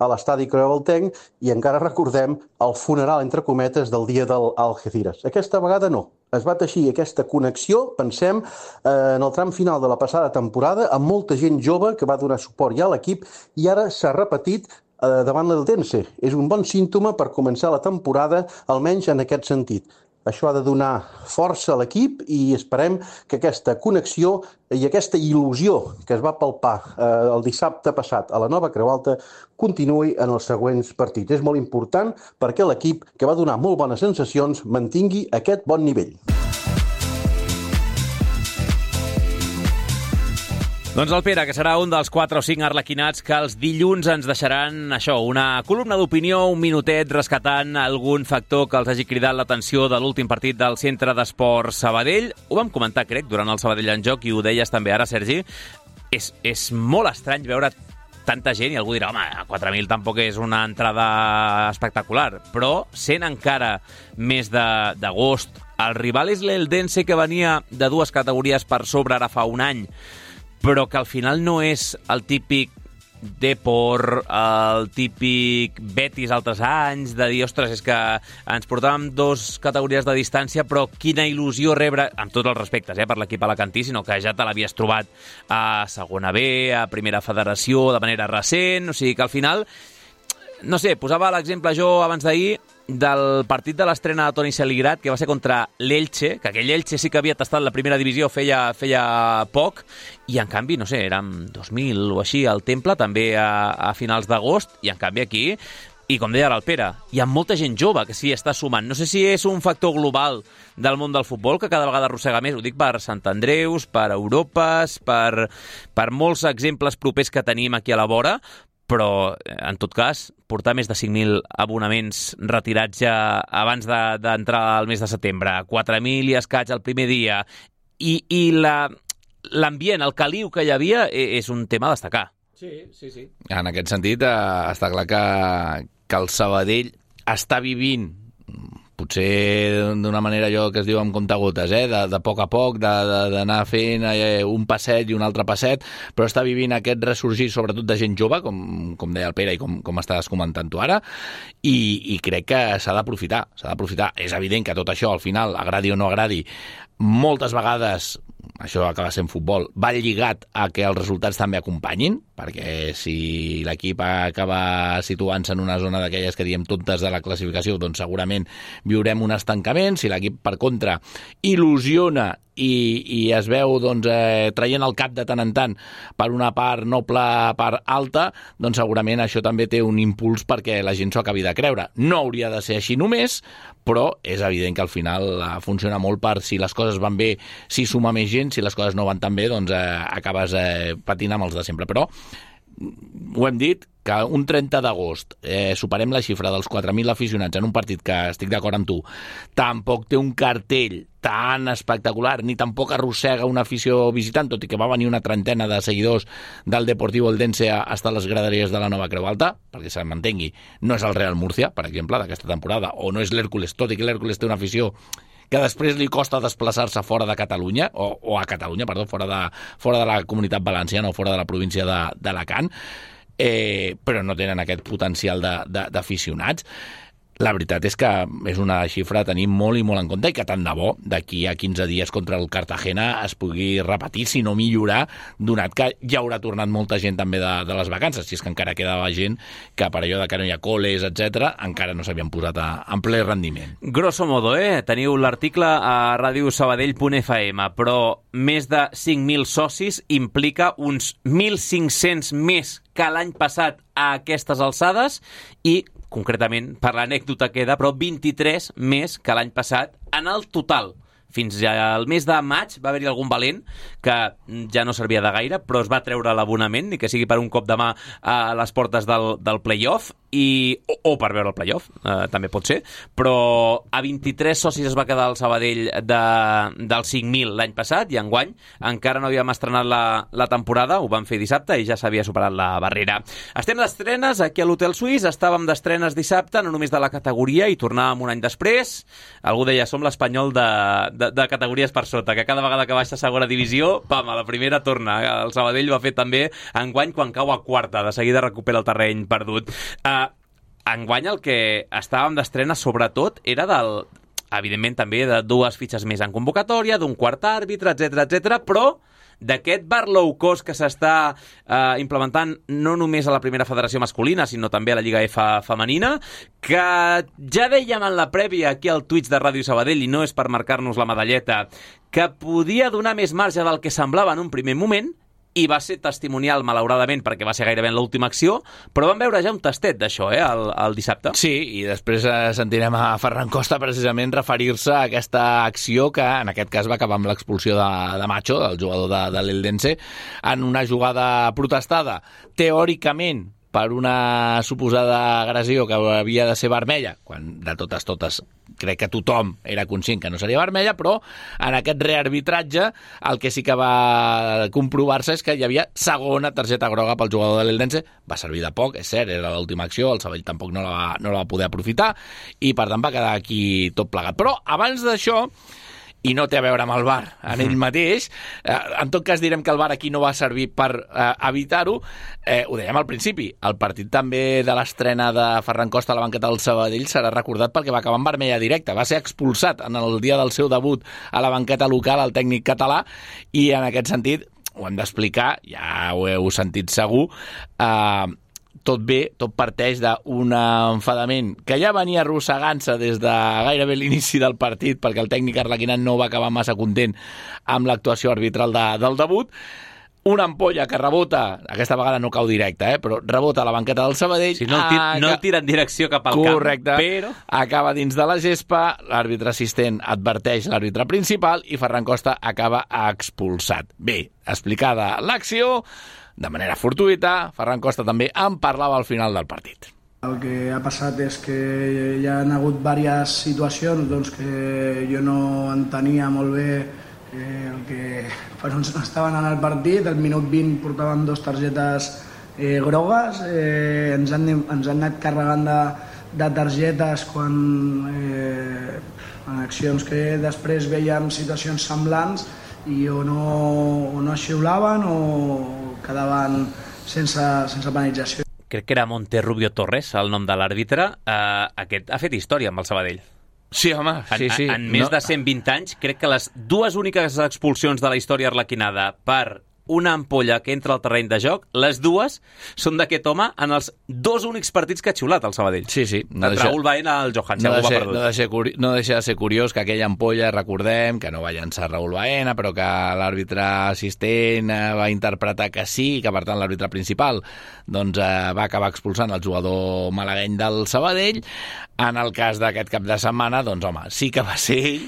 a l'estadi creualtenc i encara recordem el funeral, entre cometes, del dia del Algeciras. Aquesta vegada no. Es va teixir aquesta connexió, pensem, en el tram final de la passada temporada, amb molta gent jove que va donar suport ja a l'equip i ara s'ha repetit davant l'Eldense. És un bon símptoma per començar la temporada, almenys en aquest sentit. Això ha de donar força a l'equip i esperem que aquesta connexió i aquesta il·lusió que es va palpar eh, el dissabte passat a la Nova Creu Alta continuï en els següents partits. És molt important perquè l'equip, que va donar molt bones sensacions, mantingui aquest bon nivell. Doncs el Pere, que serà un dels quatre o cinc arlequinats que els dilluns ens deixaran això, una columna d'opinió, un minutet rescatant algun factor que els hagi cridat l'atenció de l'últim partit del Centre d'Esports Sabadell. Ho vam comentar, crec, durant el Sabadell en joc i ho deies també ara, Sergi. És, és molt estrany veure tanta gent i algú dirà, home, quatre mil tampoc és una entrada espectacular, però sent encara més d'agost, el rival és l'Eldense, que venia de dues categories per sobre ara fa un any, però que al final no és el típic Depor, el típic Betis altres anys, de dir, ostres, és que ens portàvem dos categories de distància, però quina il·lusió rebre, amb tots els respectes eh, per l'equip alacantí, sinó que ja te l'havies trobat a segona B, a primera federació, de manera recent, o sigui que al final, no sé, posava l'exemple jo abans d'ahir, del partit de l'estrena de Toni Celigrat, que va ser contra l'Elche, que aquell Elche sí que havia tastat la primera divisió feia, feia poc, i en canvi, no sé, érem dos mil o així al Temple, també a, a finals d'agost, i en canvi aquí, i com deia ara el Pere, hi ha molta gent jove que s'hi està sumant. No sé si és un factor global del món del futbol, que cada vegada arrossega més, ho dic per Sant Andreus, per Europes, per, per molts exemples propers que tenim aquí a la vora, però, en tot cas, portar més de cinc mil abonaments retirats ja abans d'entrar de, al mes de setembre, quatre mil i escaig el primer dia, i, i l'ambient, el caliu que hi havia, és un tema a destacar. Sí, sí, sí. En aquest sentit, eh, està clar que, que el Sabadell està vivint, potser d'una manera allò que es diu amb comptagotes, eh? de, de poc a poc, d'anar fent eh, un passet i un altre passet, però està vivint aquest ressorgir sobretot de gent jove, com, com deia el Pere i com, com estàs comentant tu ara, i, i crec que s'ha d'aprofitar, s'ha d'aprofitar. És evident que tot això, al final, agradi o no agradi, moltes vegades, això acaba sent futbol, va lligat a que els resultats també acompanyin, perquè si l'equip acaba situant-se en una zona d'aquelles que diem tontes de la classificació, doncs segurament viurem un estancament. Si l'equip, per contra, il·lusiona i, i es veu doncs, eh, traient el cap de tant en tant per una part noble, part alta, doncs segurament això també té un impuls perquè la gent s'ho acabi de creure. No hauria de ser així només, però és evident que al final eh, funciona molt per si les coses van bé, si suma més gent, si les coses no van tan bé, doncs eh, acabes eh, patint amb els de sempre. Però ho hem dit, que un trenta d'agost eh, superem la xifra dels quatre mil aficionats en un partit que, estic d'acord amb tu, tampoc té un cartell tan espectacular, ni tampoc arrossega una afició visitant, tot i que va venir una trentena de seguidors del Deportivo Eldense a estar a les graderies de la Nova Creu Alta, perquè se m'entengui, no és el Real Murcia, per exemple, d'aquesta temporada, o no és l'Hèrcules, tot i que l'Hèrcules té una afició que després li costa desplaçar-se fora de Catalunya, o, o a Catalunya, perdó, fora de, fora de la Comunitat Valenciana o fora de la província d'Alacant, eh, però no tenen aquest potencial d'aficionats. La veritat és que és una xifra a tenir molt i molt en compte i que tant de bo d'aquí a quinze dies contra el Cartagena es pugui repetir, si no millorar, donat que ja haurà tornat molta gent també de, de les vacances, si és que encara quedava gent que per allò de que no hi ha coles, etcètera, encara no s'havien posat a, en ple rendiment. Grosso modo, eh? Teniu l'article a ràdio sabadell punt f m, però més de cinc mil socis implica uns mil cinc-cents més que l'any passat a aquestes alçades i concretament, per l'anècdota queda, però vint-i-tres més que l'any passat en el total. Fins al mes de maig va haver-hi algun valent que ja no servia de gaire, però es va treure l'abonament, ni que sigui per un cop de mà a les portes del, del play-off, i, o, o per veure el playoff, eh, també pot ser, però a vint-i-tres socis es va quedar el Sabadell de, dels cinc mil l'any passat, i enguany encara no havíem estrenat la, la temporada, ho vam fer dissabte i ja s'havia superat la barrera. Estem d'estrenes aquí a l'Hotel Suís, estàvem d'estrenes dissabte, no només de la categoria, i tornàvem un any després. Algú deia, som l'Espanyol de, de, de categories per sota, que cada vegada que baixa a segona divisió, pam, a la primera torna. El Sabadell va fer també enguany quan cau a quarta, de seguida recupera el terreny perdut. Uh, Enguany el que estàvem d'estrena sobretot era del, evidentment també de dues fitxes més en convocatòria, d'un quart àrbitre, etcètera, etcètera, però d'aquest bar low cost que s'està eh, implementant no només a la primera federació masculina, sinó també a la Lliga F femenina, que ja dèiem en la prèvia aquí al Twitch de Ràdio Sabadell, i no és per marcar-nos la medalleta, que podia donar més marge del que semblava en un primer moment, i va ser testimonial, malauradament, perquè va ser gairebé en l'última acció, però vam veure ja un tastet d'això, eh, el, el dissabte. Sí, i després eh, sentirem a Ferran Costa precisament referir-se a aquesta acció que en aquest cas va acabar amb l'expulsió de, de Macho, el jugador de, de l'Eldense, en una jugada protestada, teòricament, per una suposada agressió que havia de ser vermella, quan de totes totes crec que tothom era conscient que no seria vermella, però en aquest rearbitratge el que sí que va comprovar-se és que hi havia segona targeta groga pel jugador de l'Eldense. Va servir de poc, és cert, era l'última acció, el Sabadell tampoc no la, va, no la va poder aprofitar, i per tant va quedar aquí tot plegat. Però abans d'això, i no té a veure amb el V A R en ell mateix, eh, en tot cas direm que el V A R aquí no va servir per eh, evitar-ho, eh, ho dèiem al principi, el partit també de l'estrena de Ferran Costa a la banqueta del Sabadell serà recordat perquè va acabar en vermella directa, va ser expulsat en el dia del seu debut a la banqueta local el tècnic català, i en aquest sentit ho hem d'explicar, ja ho heu sentit segur, eh, tot bé, tot parteix d'un enfadament que ja venia arrossegant-se des de gairebé l'inici del partit, perquè el tècnic arlequinat no va acabar massa content amb l'actuació arbitral de, del debut. Una ampolla que rebota, aquesta vegada no cau directa, eh, però rebota a la banqueta del Sabadell. Si no, el tira, no el tira en direcció cap al correcte, camp, però acaba dins de la gespa, l'àrbitre assistent adverteix l'àrbitre principal i Ferran Costa acaba expulsat. Bé, explicada l'acció, de manera fortuïta, Ferran Costa també en parlava al final del partit. El que ha passat és que hi ha hagut diverses situacions doncs, que jo no entenia molt bé eh, el que per on estaven en el partit. Al minut vint portaven dos targetes eh, grogues, eh, ens, han, ens han anat carregant de, de targetes quan eh, en accions que després veiem situacions semblants i o no, o no xiulaven o quedaven sense, sense penalització. Crec que era Monterrubio Torres, el nom de l'àrbitre. Uh, aquest ha fet història amb el Sabadell. Sí, home, sí, sí. En, en més no. de cent vint anys, crec que les dues úniques expulsions de la història arlequinada per una ampolla que entra al terreny de joc, les dues són d'aquest home en els dos únics partits que ha xiulat el Sabadell. Sí, sí. No el deixa, Raúl Baena al Johan, si no algú deixa, va perdut. No deixa, no deixa de ser curiós que aquella ampolla, recordem, que no va llançar Raúl Baena, però que l'àrbitre assistent va interpretar que sí, que per tant l'àrbitre principal doncs, eh, va acabar expulsant el jugador malagueny del Sabadell. En el cas d'aquest cap de setmana, doncs home, sí que va ser ell,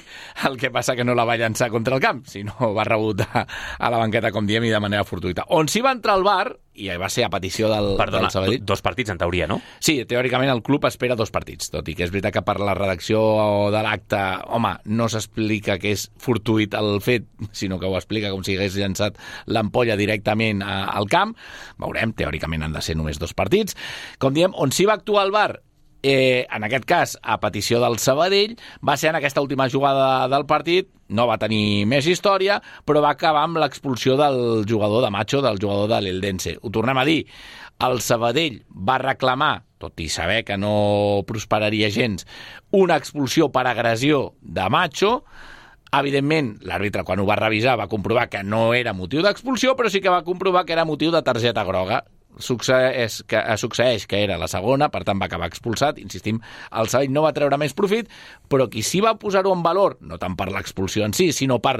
el que passa que no la va llançar contra el camp, sinó va rebotar a la banqueta, com diem, i de manera fortuïta. On s'hi va entrar el V A R, i va ser a petició del, Perdona, del Sabadell. Dos partits en teoria, no? Sí, teòricament el club espera dos partits, tot i que és veritat que per la redacció de l'acte, home, no s'explica que és fortuït el fet, sinó que ho explica com si hagués llançat l'ampolla directament a, al camp. Veurem, teòricament han de ser només dos partits. Com diem, on s'hi va actuar el V A R, Eh, en aquest cas, a petició del Sabadell, va ser en aquesta última jugada del partit, no va tenir més història, però va acabar amb l'expulsió del jugador de Macho, del jugador de l'Eldense. Ho tornem a dir, el Sabadell va reclamar, tot i saber que no prosperaria gens, una expulsió per agressió de Macho. Evidentment, l'àrbitre, quan ho va revisar, va comprovar que no era motiu d'expulsió, però sí que va comprovar que era motiu de targeta groga. Succeeix que, succeeix que era la segona, per tant va acabar expulsat. Insistim, el Sabadell no va treure més profit, però qui sí va posar-ho en valor, no tant per l'expulsió en si, sinó per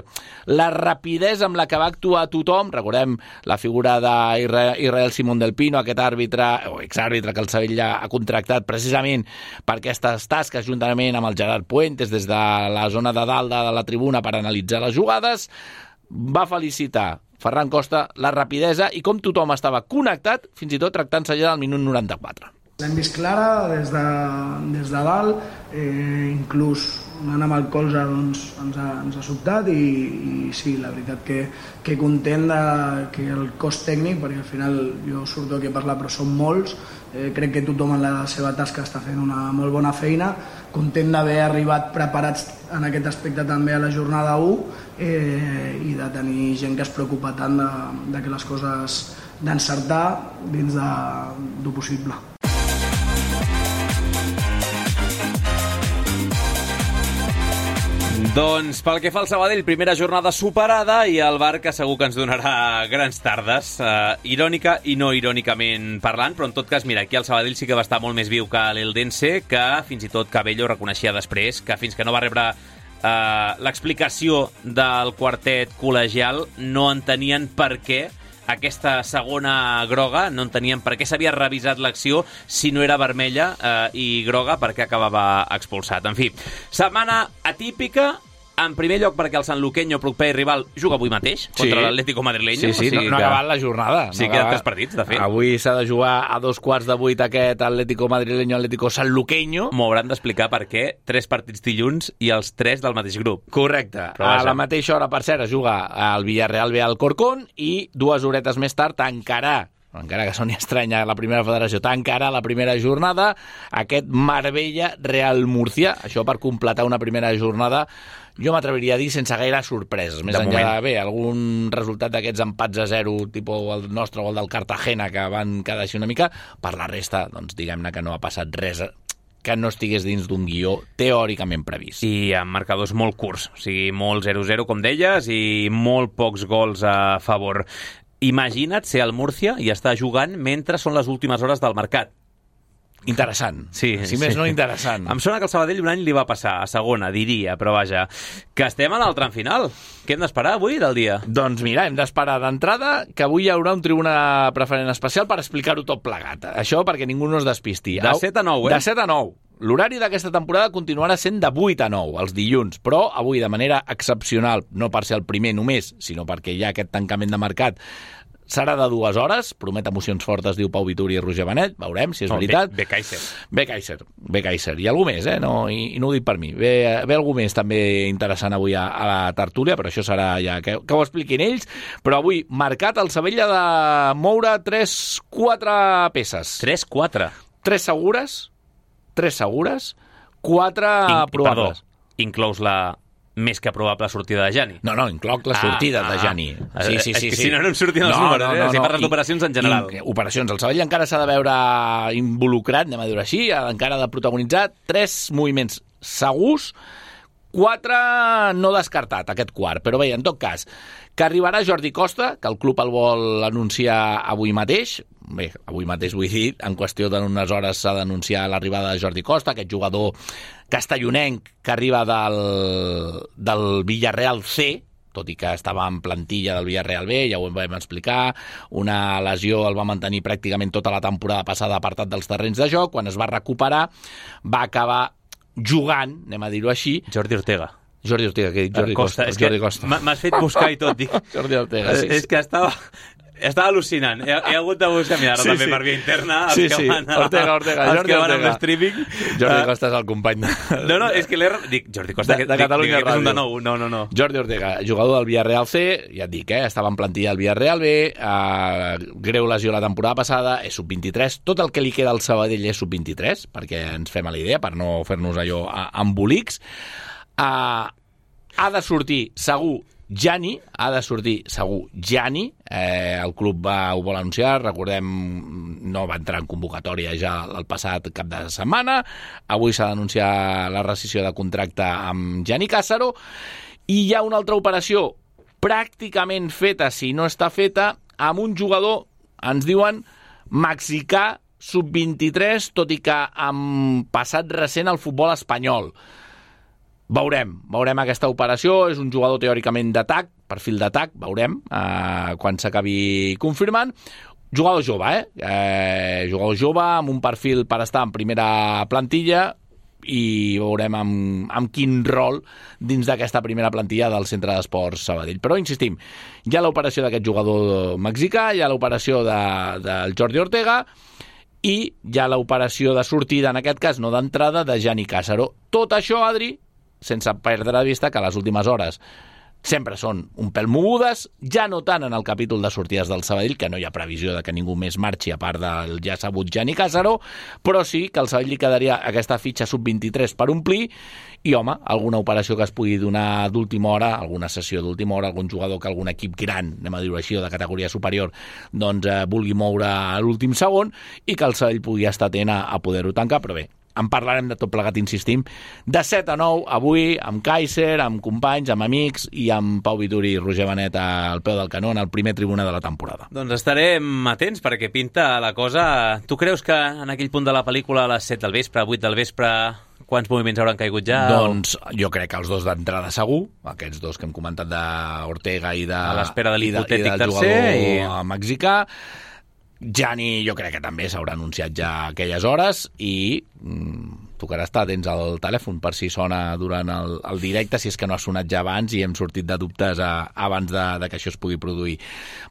la rapidesa amb la que va actuar tothom. Recordem la figura d'Israel Simón del Pino, aquest àrbitre o exàrbitre que el Sabadell ha contractat precisament per aquestes tasques, juntament amb el Gerard Puentes des de la zona de dalt de la tribuna per analitzar les jugades. Va felicitar Ferran Costa la rapidesa i com tothom estava connectat, fins i tot tractant-se ja del minut noranta-quatre. L'hem vist clara des de, des de dalt, eh, inclús anant amb el colze doncs, ens, ha, ens ha sobtat i, i sí, la veritat que, que content de, que el cos tècnic, perquè al final jo surto aquí a parlar però som molts, eh, crec que tothom en la seva tasca està fent una molt bona feina, content d'haver arribat preparats en aquest aspecte també a la jornada u eh, i de tenir gent que es preocupa tant de, de que les coses d'encertar dins de, del possible. Doncs pel que fa al Sabadell, primera jornada superada i el Bar que segur que ens donarà grans tardes, uh, irònica i no irònicament parlant, però en tot cas, mira, aquí el Sabadell sí que va estar molt més viu que l'Eldense, que fins i tot Cabello reconeixia després que fins que no va rebre uh, l'explicació del quartet col·legial no entenien per què aquesta segona groga, no entenien per què s'havia revisat l'acció si no era vermella eh, i groga perquè acabava expulsat. En fi, setmana atípica, en primer lloc perquè el sanluqueño, proper rival, juga avui mateix contra sí. l'Atlético madrileño. Sí, sí, o sigui no, no ha acabat la jornada. Sí, no queden tres partits, de fet. Avui s'ha de jugar a dos quarts de vuit aquest Atlético madrileño, Atlético sanluqueño. M'ho hauran d'explicar per què tres partits dilluns i els tres del mateix grup. Correcte. A la mateixa hora, per cert, es juga el Villarreal ve al Corcón i dues horetes més tard tancarà, encara que soni estranya la primera federació, tancarà la primera jornada aquest Marbella-Real Murcia. Això per completar una primera jornada, jo m'atreviria a dir sense gaire sorpreses. Més de enllà de, bé, algun resultat d'aquests empats a zero, tipus el nostre o el del Cartagena, que van quedar així una mica, per la resta, doncs diguem-ne que no ha passat res que no estigués dins d'un guió teòricament previst. I amb marcadors molt curts, o sigui, molt zero zero, com deies, i molt pocs gols a favor. Imagina't ser al Múrcia i estar jugant mentre són les últimes hores del mercat. Interessant. Sí, si més sí. no, interessant. Em sona que el Sabadell un any li va passar a segona, diria, però vaja, que estem en el tram final. Què hem d'esperar avui del dia? Doncs mira, hem d'esperar d'entrada que avui hi haurà un tribuna preferent especial per explicar-ho tot plegat. Això perquè ningú no es despisti. De set a nou, eh? De set a nou. L'horari d'aquesta temporada continuarà sent de vuit a nou, els dilluns, però avui de manera excepcional, no per ser el primer només, sinó perquè hi ha aquest tancament de mercat, serà de dues hores, promet emocions fortes, diu Pau Vituri i Roger Benet, veurem si és no, veritat. Bé Kaiser. Bé Kaiser, bé Kaiser. I algú més, eh? No, i, i no ho dic per mi. Ve, ve algú més també interessant avui a, a la tertúlia, però això serà ja que, que ho expliquin ells. Però avui, marcat el Sabella de moure tres quatre peces. tres quatre? tres segures, tres segures, quatre In, probables. Perdó, inclous la més que probable sortida de Jani. No, no, incloc la sortida ah, de Jani. Ah, sí, sí, sí, sí. Si no, no em sortien els no, números, no, no, eh? Si parles d'operacions en general. I, operacions. El Sabadell encara s'ha de veure involucrat, anem a dir-ho així, encara ha de protagonitzar tres moviments segurs, quatre no descartat, aquest quart. Però bé, en tot cas, que arribarà Jordi Costa, que el club el vol anunciar avui mateix. Bé, avui mateix vull dir, en qüestió d'unes hores s'ha d'anunciar l'arribada de Jordi Costa, aquest jugador castellonenc que arriba del, del Villarreal C, tot i que estava en plantilla del Villarreal B, ja ho vam explicar, una lesió el va mantenir pràcticament tota la temporada passada apartat dels terrenys de joc, quan es va recuperar va acabar jugant, anem a dir-ho així. Jordi Ortega. Jordi Ortega, que he dit Jordi Costa. Costa. És Costa. que m'has fet buscar i tot, dic. Jordi Ortega, sí. És que estava... Estava al·lucinant. He, he hagut de buscar mirar-ho sí, també sí. per via interna. Els sí, que sí. Van a, Ortega, Ortega. Els Jordi que van Ortega. amb streaming. Jordi Costa és el company de... No, no, és que l'he... Dic, Jordi Costa, de, de Catalunya Ràdio. Un de nou. No, no, no. Jordi Ortega, jugador del Villarreal C, ja et dic, eh, estava en plantilla del Villarreal B, eh, greu lesió la temporada passada, és sub vint-i-tres, tot el que li queda al Sabadell és sub vint-i-tres, perquè ens fem a la idea, per no fer-nos allò embolics. Eh, ha de sortir segur Jani, ha de sortir segur Jani, eh, el club va, ho vol anunciar, recordem, no va entrar en convocatòria ja el passat cap de setmana, avui s'ha d'anunciar la rescissió de contracte amb Jani Càssaro, i hi ha una altra operació pràcticament feta, si no està feta, amb un jugador, ens diuen, mexicà sub vint-i-tres, tot i que amb passat recent al futbol espanyol. Veurem, veurem aquesta operació, és un jugador teòricament d'atac, perfil d'atac, veurem, eh, quan s'acabi confirmant. Jugador jove, eh? eh? Jugador jove, amb un perfil per estar en primera plantilla, i veurem amb, amb quin rol dins d'aquesta primera plantilla del Centre d'Esports Sabadell. Però, insistim, hi ha l'operació d'aquest jugador mexicà, hi ha l'operació de, del Jordi Ortega, i hi ha l'operació de sortida, en aquest cas no d'entrada, de Gianni Càssaro. Tot això, Adri, sense perdre de vista que a les últimes hores sempre són un pèl mogudes, ja no tant en el capítol de sortides del Sabadell, que no hi ha previsió de que ningú més marxi a part del ja sabut Gianni Càssaro, però sí que al Sabadell li quedaria aquesta fitxa sub vint-i-tres per omplir i, home, alguna operació que es pugui donar d'última hora, alguna sessió d'última hora, algun jugador que algun equip gran, anem a dir-ho així, o de categoria superior, doncs eh, vulgui moure a l'últim segon i que el Sabadell pugui estar atent a, a poder-ho tancar, però bé, en parlarem de tot plegat, insistim, de set a nou, avui, amb Kaiser, amb companys, amb amics i amb Pau Vituri i Roger Benet al peu del canó en el primer tribuna de la temporada. Doncs estarem atents perquè pinta la cosa. Tu creus que en aquell punt de la pel·lícula a les set del vespre, vuit del vespre, quants moviments hauran caigut ja? Doncs jo crec que els dos d'entrada segur, aquests dos que hem comentat d'Ortega i de... A l'espera de l'hipotètic tercer. tercer. I... mexicà. Gianni jo crec que també s'haurà anunciat ja a aquelles hores i mm, tocarà estar atents al telèfon per si sona durant el, el directe, si és que no ha sonat ja abans i hem sortit de dubtes a, abans de, de que això es pugui produir.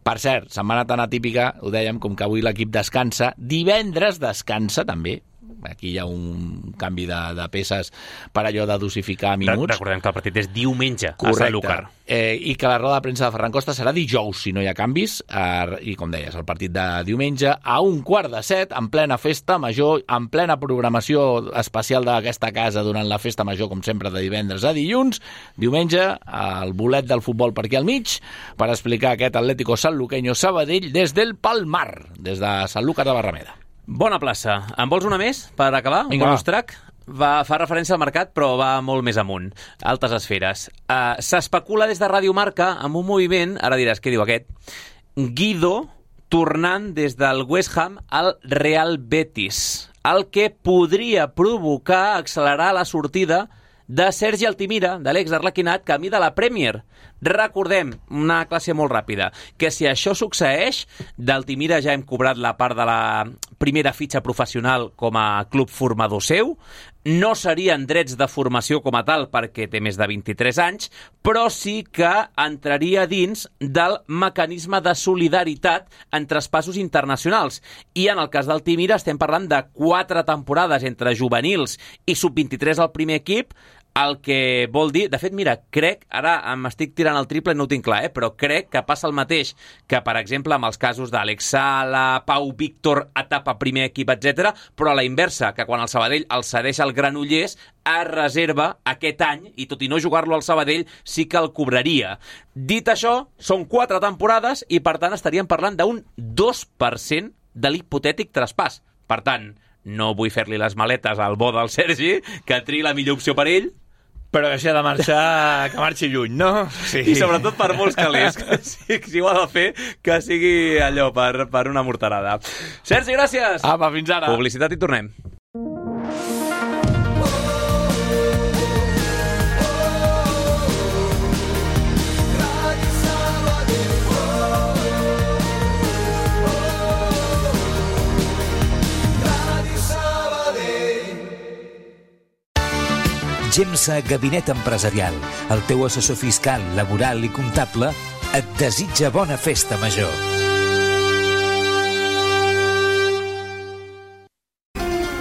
Per cert, setmana tan atípica, ho dèiem, com que avui l'equip descansa, divendres descansa també. Aquí hi ha un canvi de, de peces per allò de dosificar minuts. Recordem que el partit és diumenge a Sant Lúcar. Eh, I que la roda de premsa de Ferran Costa serà dijous, si no hi ha canvis. Eh, I, com deies, el partit de diumenge a un quart de set, en plena festa major, en plena programació especial d'aquesta casa durant la festa major, com sempre, de divendres a dilluns. Diumenge, el bolet del futbol per aquí al mig, per explicar aquest Atlético Sanluqueño Sabadell des del Palmar, des de Sanlúcar de Barrameda. Bona plaça. En vols una més per acabar? Un bonus track? Va, fa referència al mercat, però va molt més amunt. Altes esferes. Uh, S'especula des de Ràdio Marca amb un moviment, ara diràs, què diu aquest? Guido tornant des del West Ham al Real Betis, el que podria provocar accelerar la sortida de Sergi Altimira, de l'ex-arlequinat, camí de la Premier. Recordem, una classe molt ràpida, que si això succeeix, d'Altimira ja hem cobrat la part de la primera fitxa professional com a club formador seu, no serien drets de formació com a tal perquè té més de vint-i-tres anys, però sí que entraria dins del mecanisme de solidaritat en traspassos internacionals. I en el cas d'Altimira estem parlant de quatre temporades entre juvenils i sub vint-i-tres al primer equip, el que vol dir, de fet, mira, crec, ara m'estic tirant el triple i no ho tinc clar, eh, però crec que passa el mateix que, per exemple, amb els casos d'Àlex Sala, Pau Víctor, etapa primer equip, etcètera, però a la inversa, que quan el Sabadell el cedeix al Granollers, es reserva aquest any, i tot i no jugar-lo al Sabadell, sí que el cobraria. Dit això, són quatre temporades i, per tant, estaríem parlant d'un dos per cent de l'hipotètic traspàs. Per tant, no vull fer-li les maletes al bo del Sergi, que triï la millor opció per ell, però que si ha de marxar, que marxi lluny, no? Sí. I sobretot per molts calés, que si, si ho ha de fer, que sigui allò per, per una morterada. Sergi, gràcies! Apa, fins ara! Publicitat i tornem. Gemsa Gabinet Empresarial, el teu assessor fiscal, laboral i comptable, et desitja bona festa major.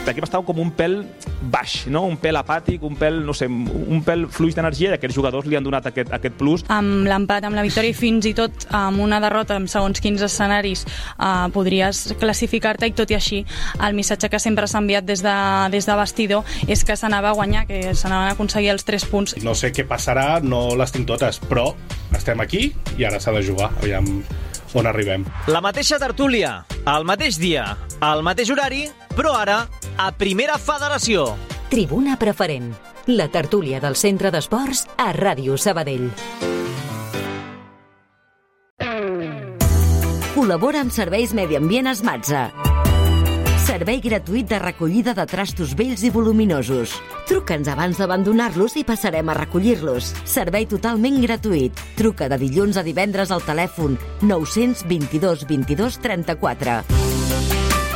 L'equip estava com un pèl baix, no? Un pèl apàtic, un pèl, no sé, un pèl fluix d'energia, i aquests jugadors li han donat aquest, aquest plus. Amb l'empat, amb la victòria i fins i tot amb una derrota en segons quins escenaris eh, podries classificar-te, i tot i així el missatge que sempre s'ha enviat des de, des de vestidor és que s'anava a guanyar, que s'anaven a aconseguir els tres punts. No sé què passarà, no les tinc totes, però estem aquí i ara s'ha de jugar, aviam on arribem. La mateixa tertúlia, al mateix dia, al mateix horari, però ara a Primera Federació. Tribuna Preferent, la tertúlia del Centre d'Esports a Ràdio Sabadell. Col·labora amb Serveis Medi Ambient Esmatza. Servei gratuït de recollida de trastos vells i voluminosos. Truca'ns abans d'abandonar-los i passarem a recollir-los. Servei totalment gratuït. Truca de dilluns a divendres al telèfon nou-cents vint-i-dos vint-i-dos trenta-quatre.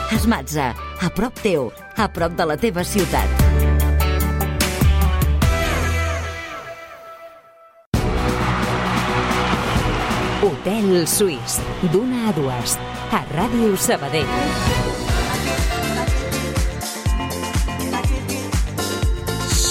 Esmatza, a prop teu, a prop de la teva ciutat. Hotel Suís, d'una a dues, a Ràdio Sabadell.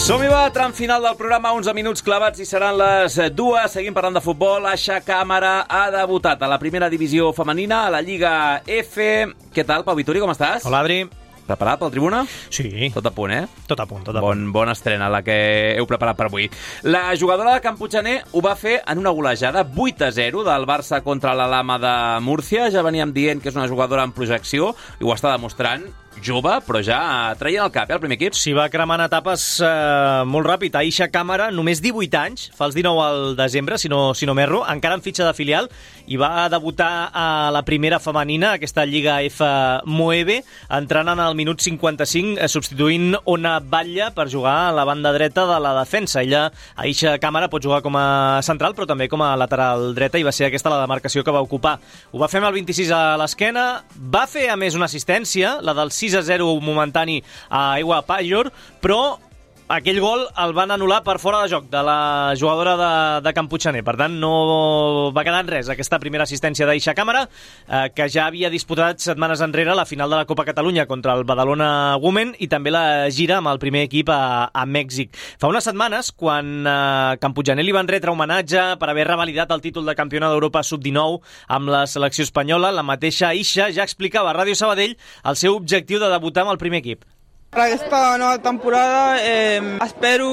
Som-hi, va, tram final del programa, onze minuts clavats i seran les dues. Seguim parlant de futbol. Aixa Càmara ha debutat a la primera divisió femenina, a la Lliga F. Què tal, Pau Vituri, com estàs? Hola, Adri. Preparat pel Tribuna? Sí. Tot a punt, eh? Tot a punt, tot a bon, punt. Bona estrena la que heu preparat per avui. La jugadora de Camputxaner ho va fer en una golejada vuit a zero del Barça contra la Lama de Múrcia. Ja veníem dient que és una jugadora en projecció i ho està demostrant. Jove, però ja traient el cap, eh, el primer equip. S'hi va cremant etapes eh, molt ràpid. Aixa Càmara, només divuit anys, fa els dinou al desembre, si no, si no m'erro, encara en fitxa de filial, i va debutar a la primera femenina, aquesta Lliga F Moeve, entrant en el minut cinquanta-cinc, eh, substituint Ona Batlle per jugar a la banda dreta de la defensa. Ella, Aixa Càmara, pot jugar com a central, però també com a lateral dreta, i va ser aquesta la demarcació que va ocupar. Ho va fer amb el vint-i-sis a l'esquena, va fer, a més, una assistència, la del sis a zero momentani a Aigua Pajor, però aquell gol el van anul·lar per fora de joc de la jugadora de, de Camputxaner. Per tant, no va quedar en res aquesta primera assistència d'Aixa Càmara, eh, que ja havia disputat setmanes enrere la final de la Copa Catalunya contra el Badalona Women i també la gira amb el primer equip a, a Mèxic. Fa unes setmanes, quan eh, Camputxaner li van retre homenatge per haver revalidat el títol de campiona d'Europa sub dinou amb la selecció espanyola, la mateixa Aixa ja explicava a Ràdio Sabadell el seu objectiu de debutar amb el primer equip. Per aquesta nova temporada eh, espero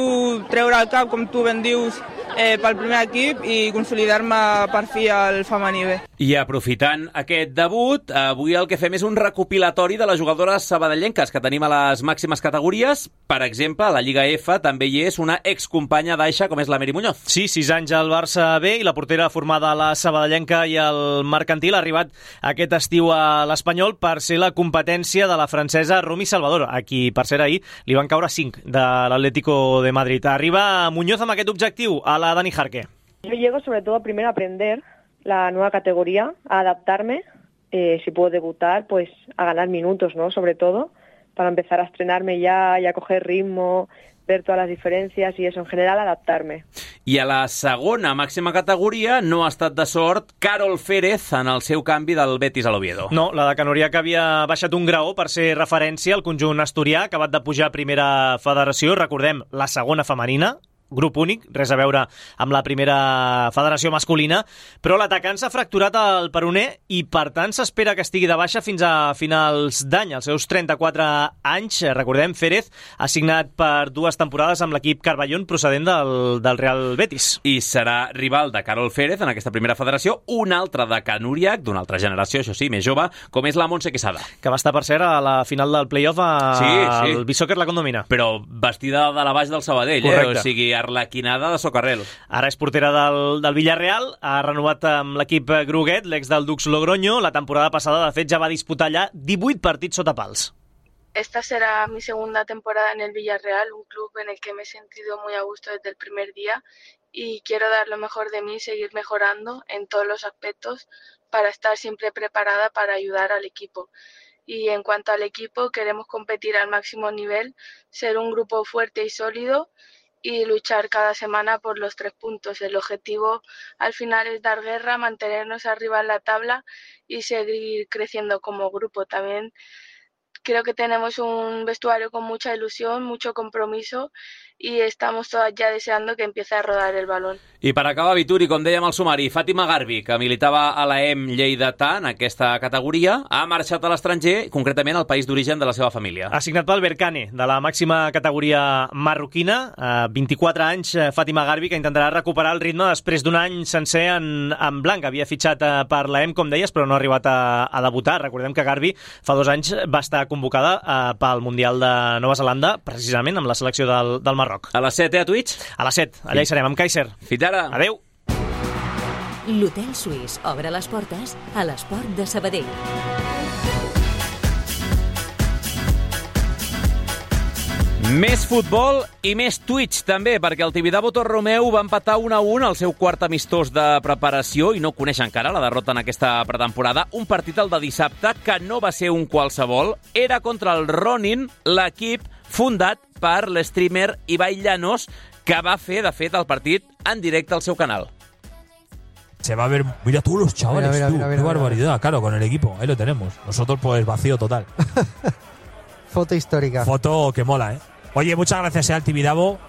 treure el cap, com tu ben dius, eh, pel primer equip i consolidar-me per fi al femení B. I aprofitant aquest debut, avui el que fem és un recopilatori de les jugadores sabadellenques que tenim a les màximes categories. Per exemple, a la Lliga F també hi és una excompanya d'Aixa, com és la Meri Muñoz. Sí, sis anys al Barça B, i la portera formada a la sabadellenca i el mercantil ha arribat aquest estiu a l'Espanyol per ser la competència de la francesa Romy Salvador, a qui, per ser ahir, li van caure cinc de l'Atlético de Madrid. Arriba Muñoz amb aquest objectiu, a la Dani Jarque. Yo llego sobre todo primero a aprender la nueva categoría, a adaptarme, eh, si puedo debutar, pues a ganar minutos, ¿no? Sobre todo, para empezar a estrenarme ya y a coger ritmo, ver todas las diferencias y eso, en general, adaptarme. I a la segona màxima categoria no ha estat de sort Carol Férez en el seu canvi del Betis a l'Oviedo. No, la de Canorià, que havia baixat un graó per ser referència al conjunt asturià, acabat de pujar a primera federació, recordem, la segona femenina, grup únic, res a veure amb la primera federació masculina, però l'atacant s'ha fracturat el peroné i, per tant, s'espera que estigui de baixa fins a finals d'any. Als seus trenta-quatre anys, recordem, Férez ha signat per dues temporades amb l'equip Carballón procedent del, del Real Betis. I serà rival de Carol Férez en aquesta primera federació, un altre de Can Uriac, d'una altra generació, això sí, més jove, com és la Montse Quesada. Que va estar, per cert, a la final del play-off al sí, sí. Beachsoccer la Condomina. Però vestida de la baix del Sabadell, eh? O sigui, arlequinada de socarrel. Ara és portera del, del Villarreal, ha renovat amb l'equip groguet, l'ex del Dux Logroño. La temporada passada, de fet, ja va disputar allà divuit partits sota pals. Esta será mi segunda temporada en el Villarreal, un club en el que me he sentido muy a gusto desde el primer día y quiero dar lo mejor de mí y seguir mejorando en todos los aspectos para estar siempre preparada para ayudar al equipo. Y en cuanto al equipo, queremos competir al máximo nivel, ser un grupo fuerte y sólido y luchar cada semana por los tres puntos. El objetivo al final es dar guerra, mantenernos arriba en la tabla y seguir creciendo como grupo. También creo que tenemos un vestuario con mucha ilusión, mucho compromiso y estamos todas ya deseando que empiece a rodar el balón. I per acabar, Vituri, com dèiem al sumari, Fàtima Garbi, que militava a la E M Lleidatà en aquesta categoria, ha marxat a l'estranger, concretament al país d'origen de la seva família. Ha signat pel Berkane, de la màxima categoria marroquina. A vint-i-quatre anys, Fàtima Garbi, que intentarà recuperar el ritme després d'un any sencer en, en blanc. Havia fitxat per la E M, com deies, però no ha arribat a, a debutar. Recordem que Garbi fa dos anys va estar convocada eh, pel Mundial de Nova Zelanda, precisament amb la selecció del, del Marroc. A les set, eh, a Twitch? A les set, allà hi serem, amb Kaiser. Fins ara. Adéu. L'Hotel Suís obre les portes a l'Esport de Sabadell. Més futbol i més Twitch també, perquè el Tibidabo Torromeu va empatar un a un al seu quart amistós de preparació i no coneix encara la derrota en aquesta pretemporada. Un partit el de dissabte que no va ser un qualsevol, era contra el Ronin, l'equip fundat per l'streamer Ibai Llanos, que va fer, de fet, el partit en directe al seu canal. Se va a ver, mira tú los chavales, mira, mira, tú, mira, qué mira, barbaridad, mira. Claro, con el equipo, ahí lo tenemos. Nosotros pues vacío total. Foto histórica. Foto que mola, ¿eh? Oye, muchas gracias al Tibidabo,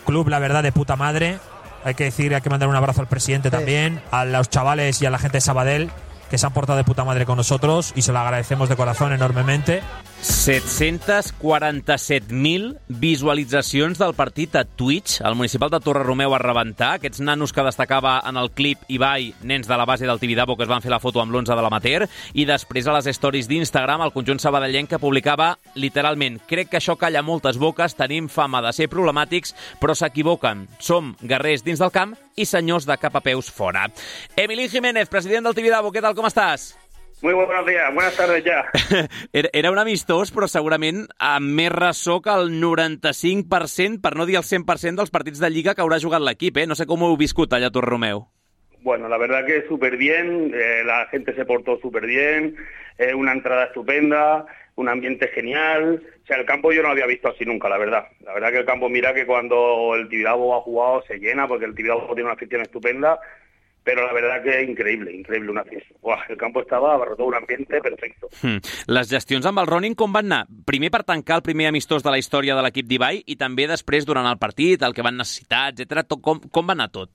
club, la verdad, de puta madre. Hay que decir, hay que mandar un abrazo al presidente sí. también, a los chavales y a la gente de Sabadell, que se han portado de puta madre con nosotros y se lo agradecemos de corazón enormemente. set-cents quaranta-set mil visualitzacions del partit a Twitch. El municipal de Torreromeu a rebentar. Aquests nanos que destacava en el clip Ibai, nens de la base del Tibidabo, que es van fer la foto amb l'onze de l'amateur, i després a les stories d'Instagram el conjunt sabadellenc que publicava literalment: crec que això calla moltes boques, tenim fama de ser problemàtics, però s'equivoquen. Som guerrers dins del camp i senyors de cap a peus fora. Emilín Jiménez, president del Tibidabo, què tal, com estàs? Muy buenos días, buenas tardes ya. Era un amistós, però segurament amb més ressò que el noranta-cinc per cent, per no dir el cent per cent dels partits de Lliga que haurà jugat l'equip, ¿eh? No sé com ho heu viscut allà a Torreromeu. Bueno, la verdad que súper bien, eh, la gente se portó súper bien, eh, una entrada estupenda, un ambiente genial. O sea, el campo yo no lo había visto así nunca, la verdad. La verdad que el campo, mira que cuando el Tibidabo ha jugado se llena, porque el Tibidabo tiene una afición estupenda. Pero la verdad que increïble, increïble una fiesta. Uah, el campo estava abarrotat, un ambiente perfecto. Hmm. Les gestions amb el Ronin com van anar? Primer per tancar el primer amistós de la història de l'equip d'Ibai i també després durant el partit, el que van necessitar, etcètera. Com, com va anar tot?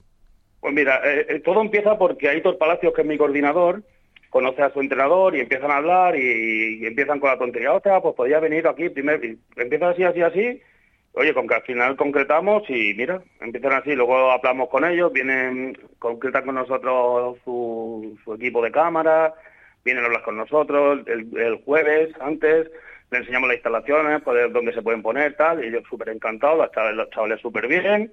Pues mira, eh, todo empieza porque Aitor Palacios, que es mi coordinador, conoce a su entrenador y empiezan a hablar y, y empiezan con la tontería. Ostras, pues podía venir aquí primero. Y empieza así, así, así. Oye, con que al final concretamos y mira, empiezan así, luego hablamos con ellos, vienen, concretan con nosotros su, su equipo de cámara, vienen a hablar con nosotros el, el jueves, antes, le enseñamos las instalaciones, pues, dónde se pueden poner, tal, y ellos súper encantados, los chavales, los chavales súper bien,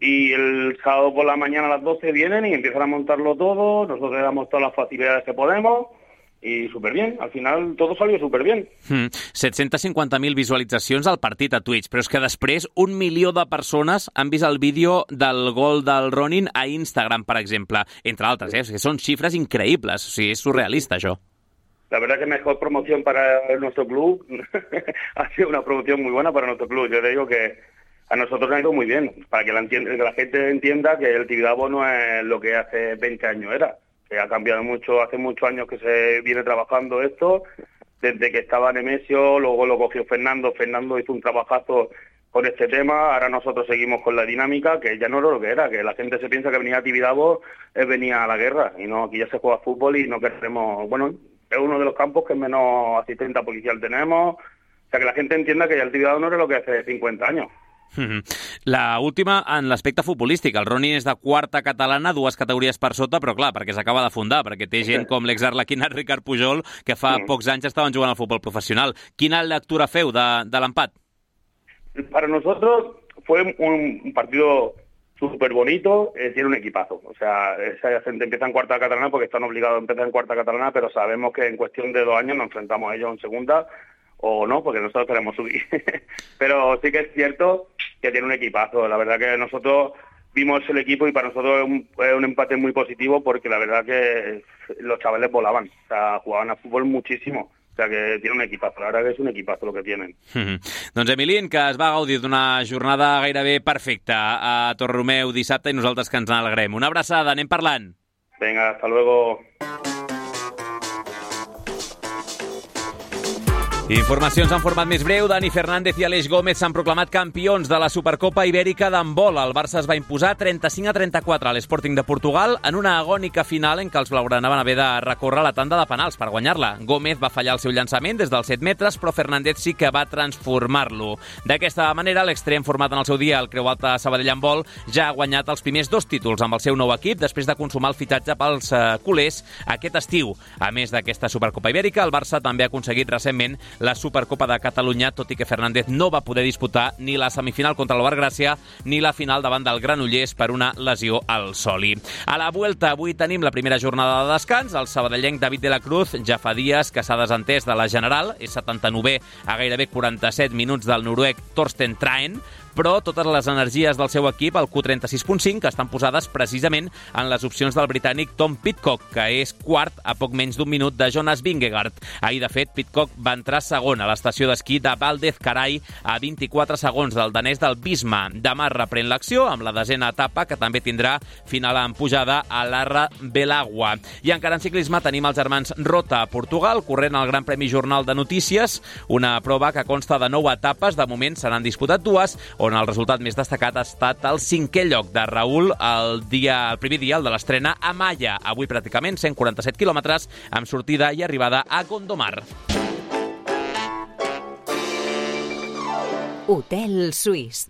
y el sábado por la mañana a las doce vienen y empiezan a montarlo todo, nosotros le damos todas las facilidades que podemos, i superbien, al final tot salió superbien. Hmm. set-cents cinquanta mil visualitzacions al partit a Twitch, però és que després un milió de persones han vist el vídeo del gol del Ronin a Instagram, per exemple, entre altres, eh? O sigui, són xifres increïbles, o sigui, és surrealista, això. La verdad que mejor promoción para nuestro club ha sido una promoción muy buena para nuestro club. Yo te digo que a nosotros nos ha ido muy bien, para que la, que la gente entienda que el Tibidabo no es lo que hace veinte años era. Que ha cambiado mucho, hace muchos años que se viene trabajando esto, desde que estaba Nemesio, luego lo cogió Fernando, Fernando hizo un trabajazo con este tema, ahora nosotros seguimos con la dinámica, que ya no era lo que era, que la gente se piensa que venía a Tibidabo es venir a la guerra, y no, aquí ya se juega fútbol y no queremos, bueno, es uno de los campos que menos asistente policial tenemos, o sea que la gente entienda que ya el Tibidabo no era lo que hace cincuenta años. La última en l'aspecte futbolístic. El Ronin és de quarta catalana, dues categories per sota, però clar, perquè s'acaba de fundar, perquè té gent com l'exarlequinat Ricard Pujol, que fa mm. pocs anys estaven jugant al futbol professional. Quina lectura feu de, de l'empat? Para nosotros fue un partido súper bonito, eh, tiene un equipazo. O sea, esa gente empieza en cuarta catalana porque están obligados a empezar en cuarta catalana, pero sabemos que en cuestión de dos años nos enfrentamos a ellos en segunda, o no, porque nosotros queremos subir. Pero sí que es cierto que tiene un equipazo. La verdad que nosotros vimos el equipo y para nosotros es un, es un empate muy positivo porque la verdad que los chavales volaban, o sea, jugaban a fútbol muchísimo. O sea, que tiene un equipazo. La verdad que es un equipazo lo que tienen. Mm-hmm. Doncs Emilín, que es va gaudir d'una jornada gairebé perfecta a Torreromeu dissabte i nosaltres que ens n'alegrem. Una abraçada, anem parlant. Venga, hasta luego. Informacions en format més breu. Dani Fernández i Aleix Gómez s'han proclamat campions de la Supercopa Ibèrica d'handbol. El Barça es va imposar trenta-cinc a trenta-quatre a l'Sporting de Portugal en una agònica final en què els blaugrana van haver de recórrer la tanda de penals per guanyar-la. Gómez va fallar el seu llançament des dels set metres, però Fernández sí que va transformar-lo. D'aquesta manera, l'extrem format en el seu dia el Creu Alta Sabadell Handbol ja ha guanyat els primers dos títols amb el seu nou equip després de consumar el fitxatge pels eh, culers aquest estiu. A més d'aquesta Supercopa Ibèrica, el Barça també ha aconseguit recentment la Supercopa de Catalunya, tot i que Fernández no va poder disputar ni la semifinal contra l'Ovar Gràcia ni la final davant del Granollers per una lesió al soli. A la Vuelta, avui tenim la primera jornada de descans. El sabadellenc David de la Cruz ja fa dies que s'ha desentès de la General, és setanta-novè a gairebé quaranta-set minuts del noruec Torsten Traen, però totes les energies del seu equip, el Q trenta-sis punt cinc, estan posades precisament en les opcions del britànic Tom Pidcock, que és quart a poc menys d'un minut de Jonas Vingegaard. Ahir, de fet, Pidcock va entrar segon a l'estació d'esquí de Valdez-Carai a vint-i-quatre segons del danès del Bisma. Demà reprèn l'acció amb la desena etapa, que també tindrà final en pujada a l'Arra Belagua. I encara en ciclisme tenim els germans Rota a Portugal, corrent el Gran Premi Jornal de Notícies, una prova que consta de nou etapes. De moment se n'han disputat dues, on el resultat més destacat ha estat el cinquè lloc de Raül el, dia, el primer dia, el de l'estrena a Malla. Avui pràcticament cent quaranta-set quilòmetres amb sortida i arribada a Gondomar. Hotel Suís.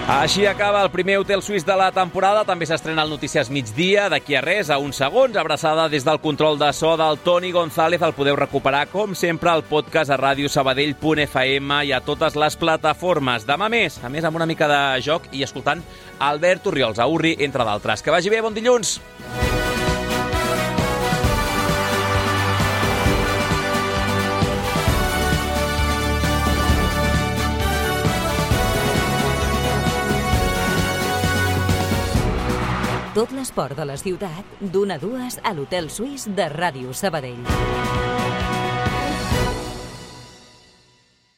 Així acaba el primer Hotel Suís de la temporada. També s'estrena el Notícies Migdia d'aquí a res, a uns segons. Abraçada des del control de so del Toni González. El podeu recuperar, com sempre, al podcast a ràdio sabadell punt f m i a totes les plataformes. Demà més, a més amb una mica de joc i escoltant Albert Orriols, a Urri, entre d'altres. Que vagi bé, bon dilluns! Tot l'esport de la ciutat, d'una a dues a l'Hotel Suís de Ràdio Sabadell.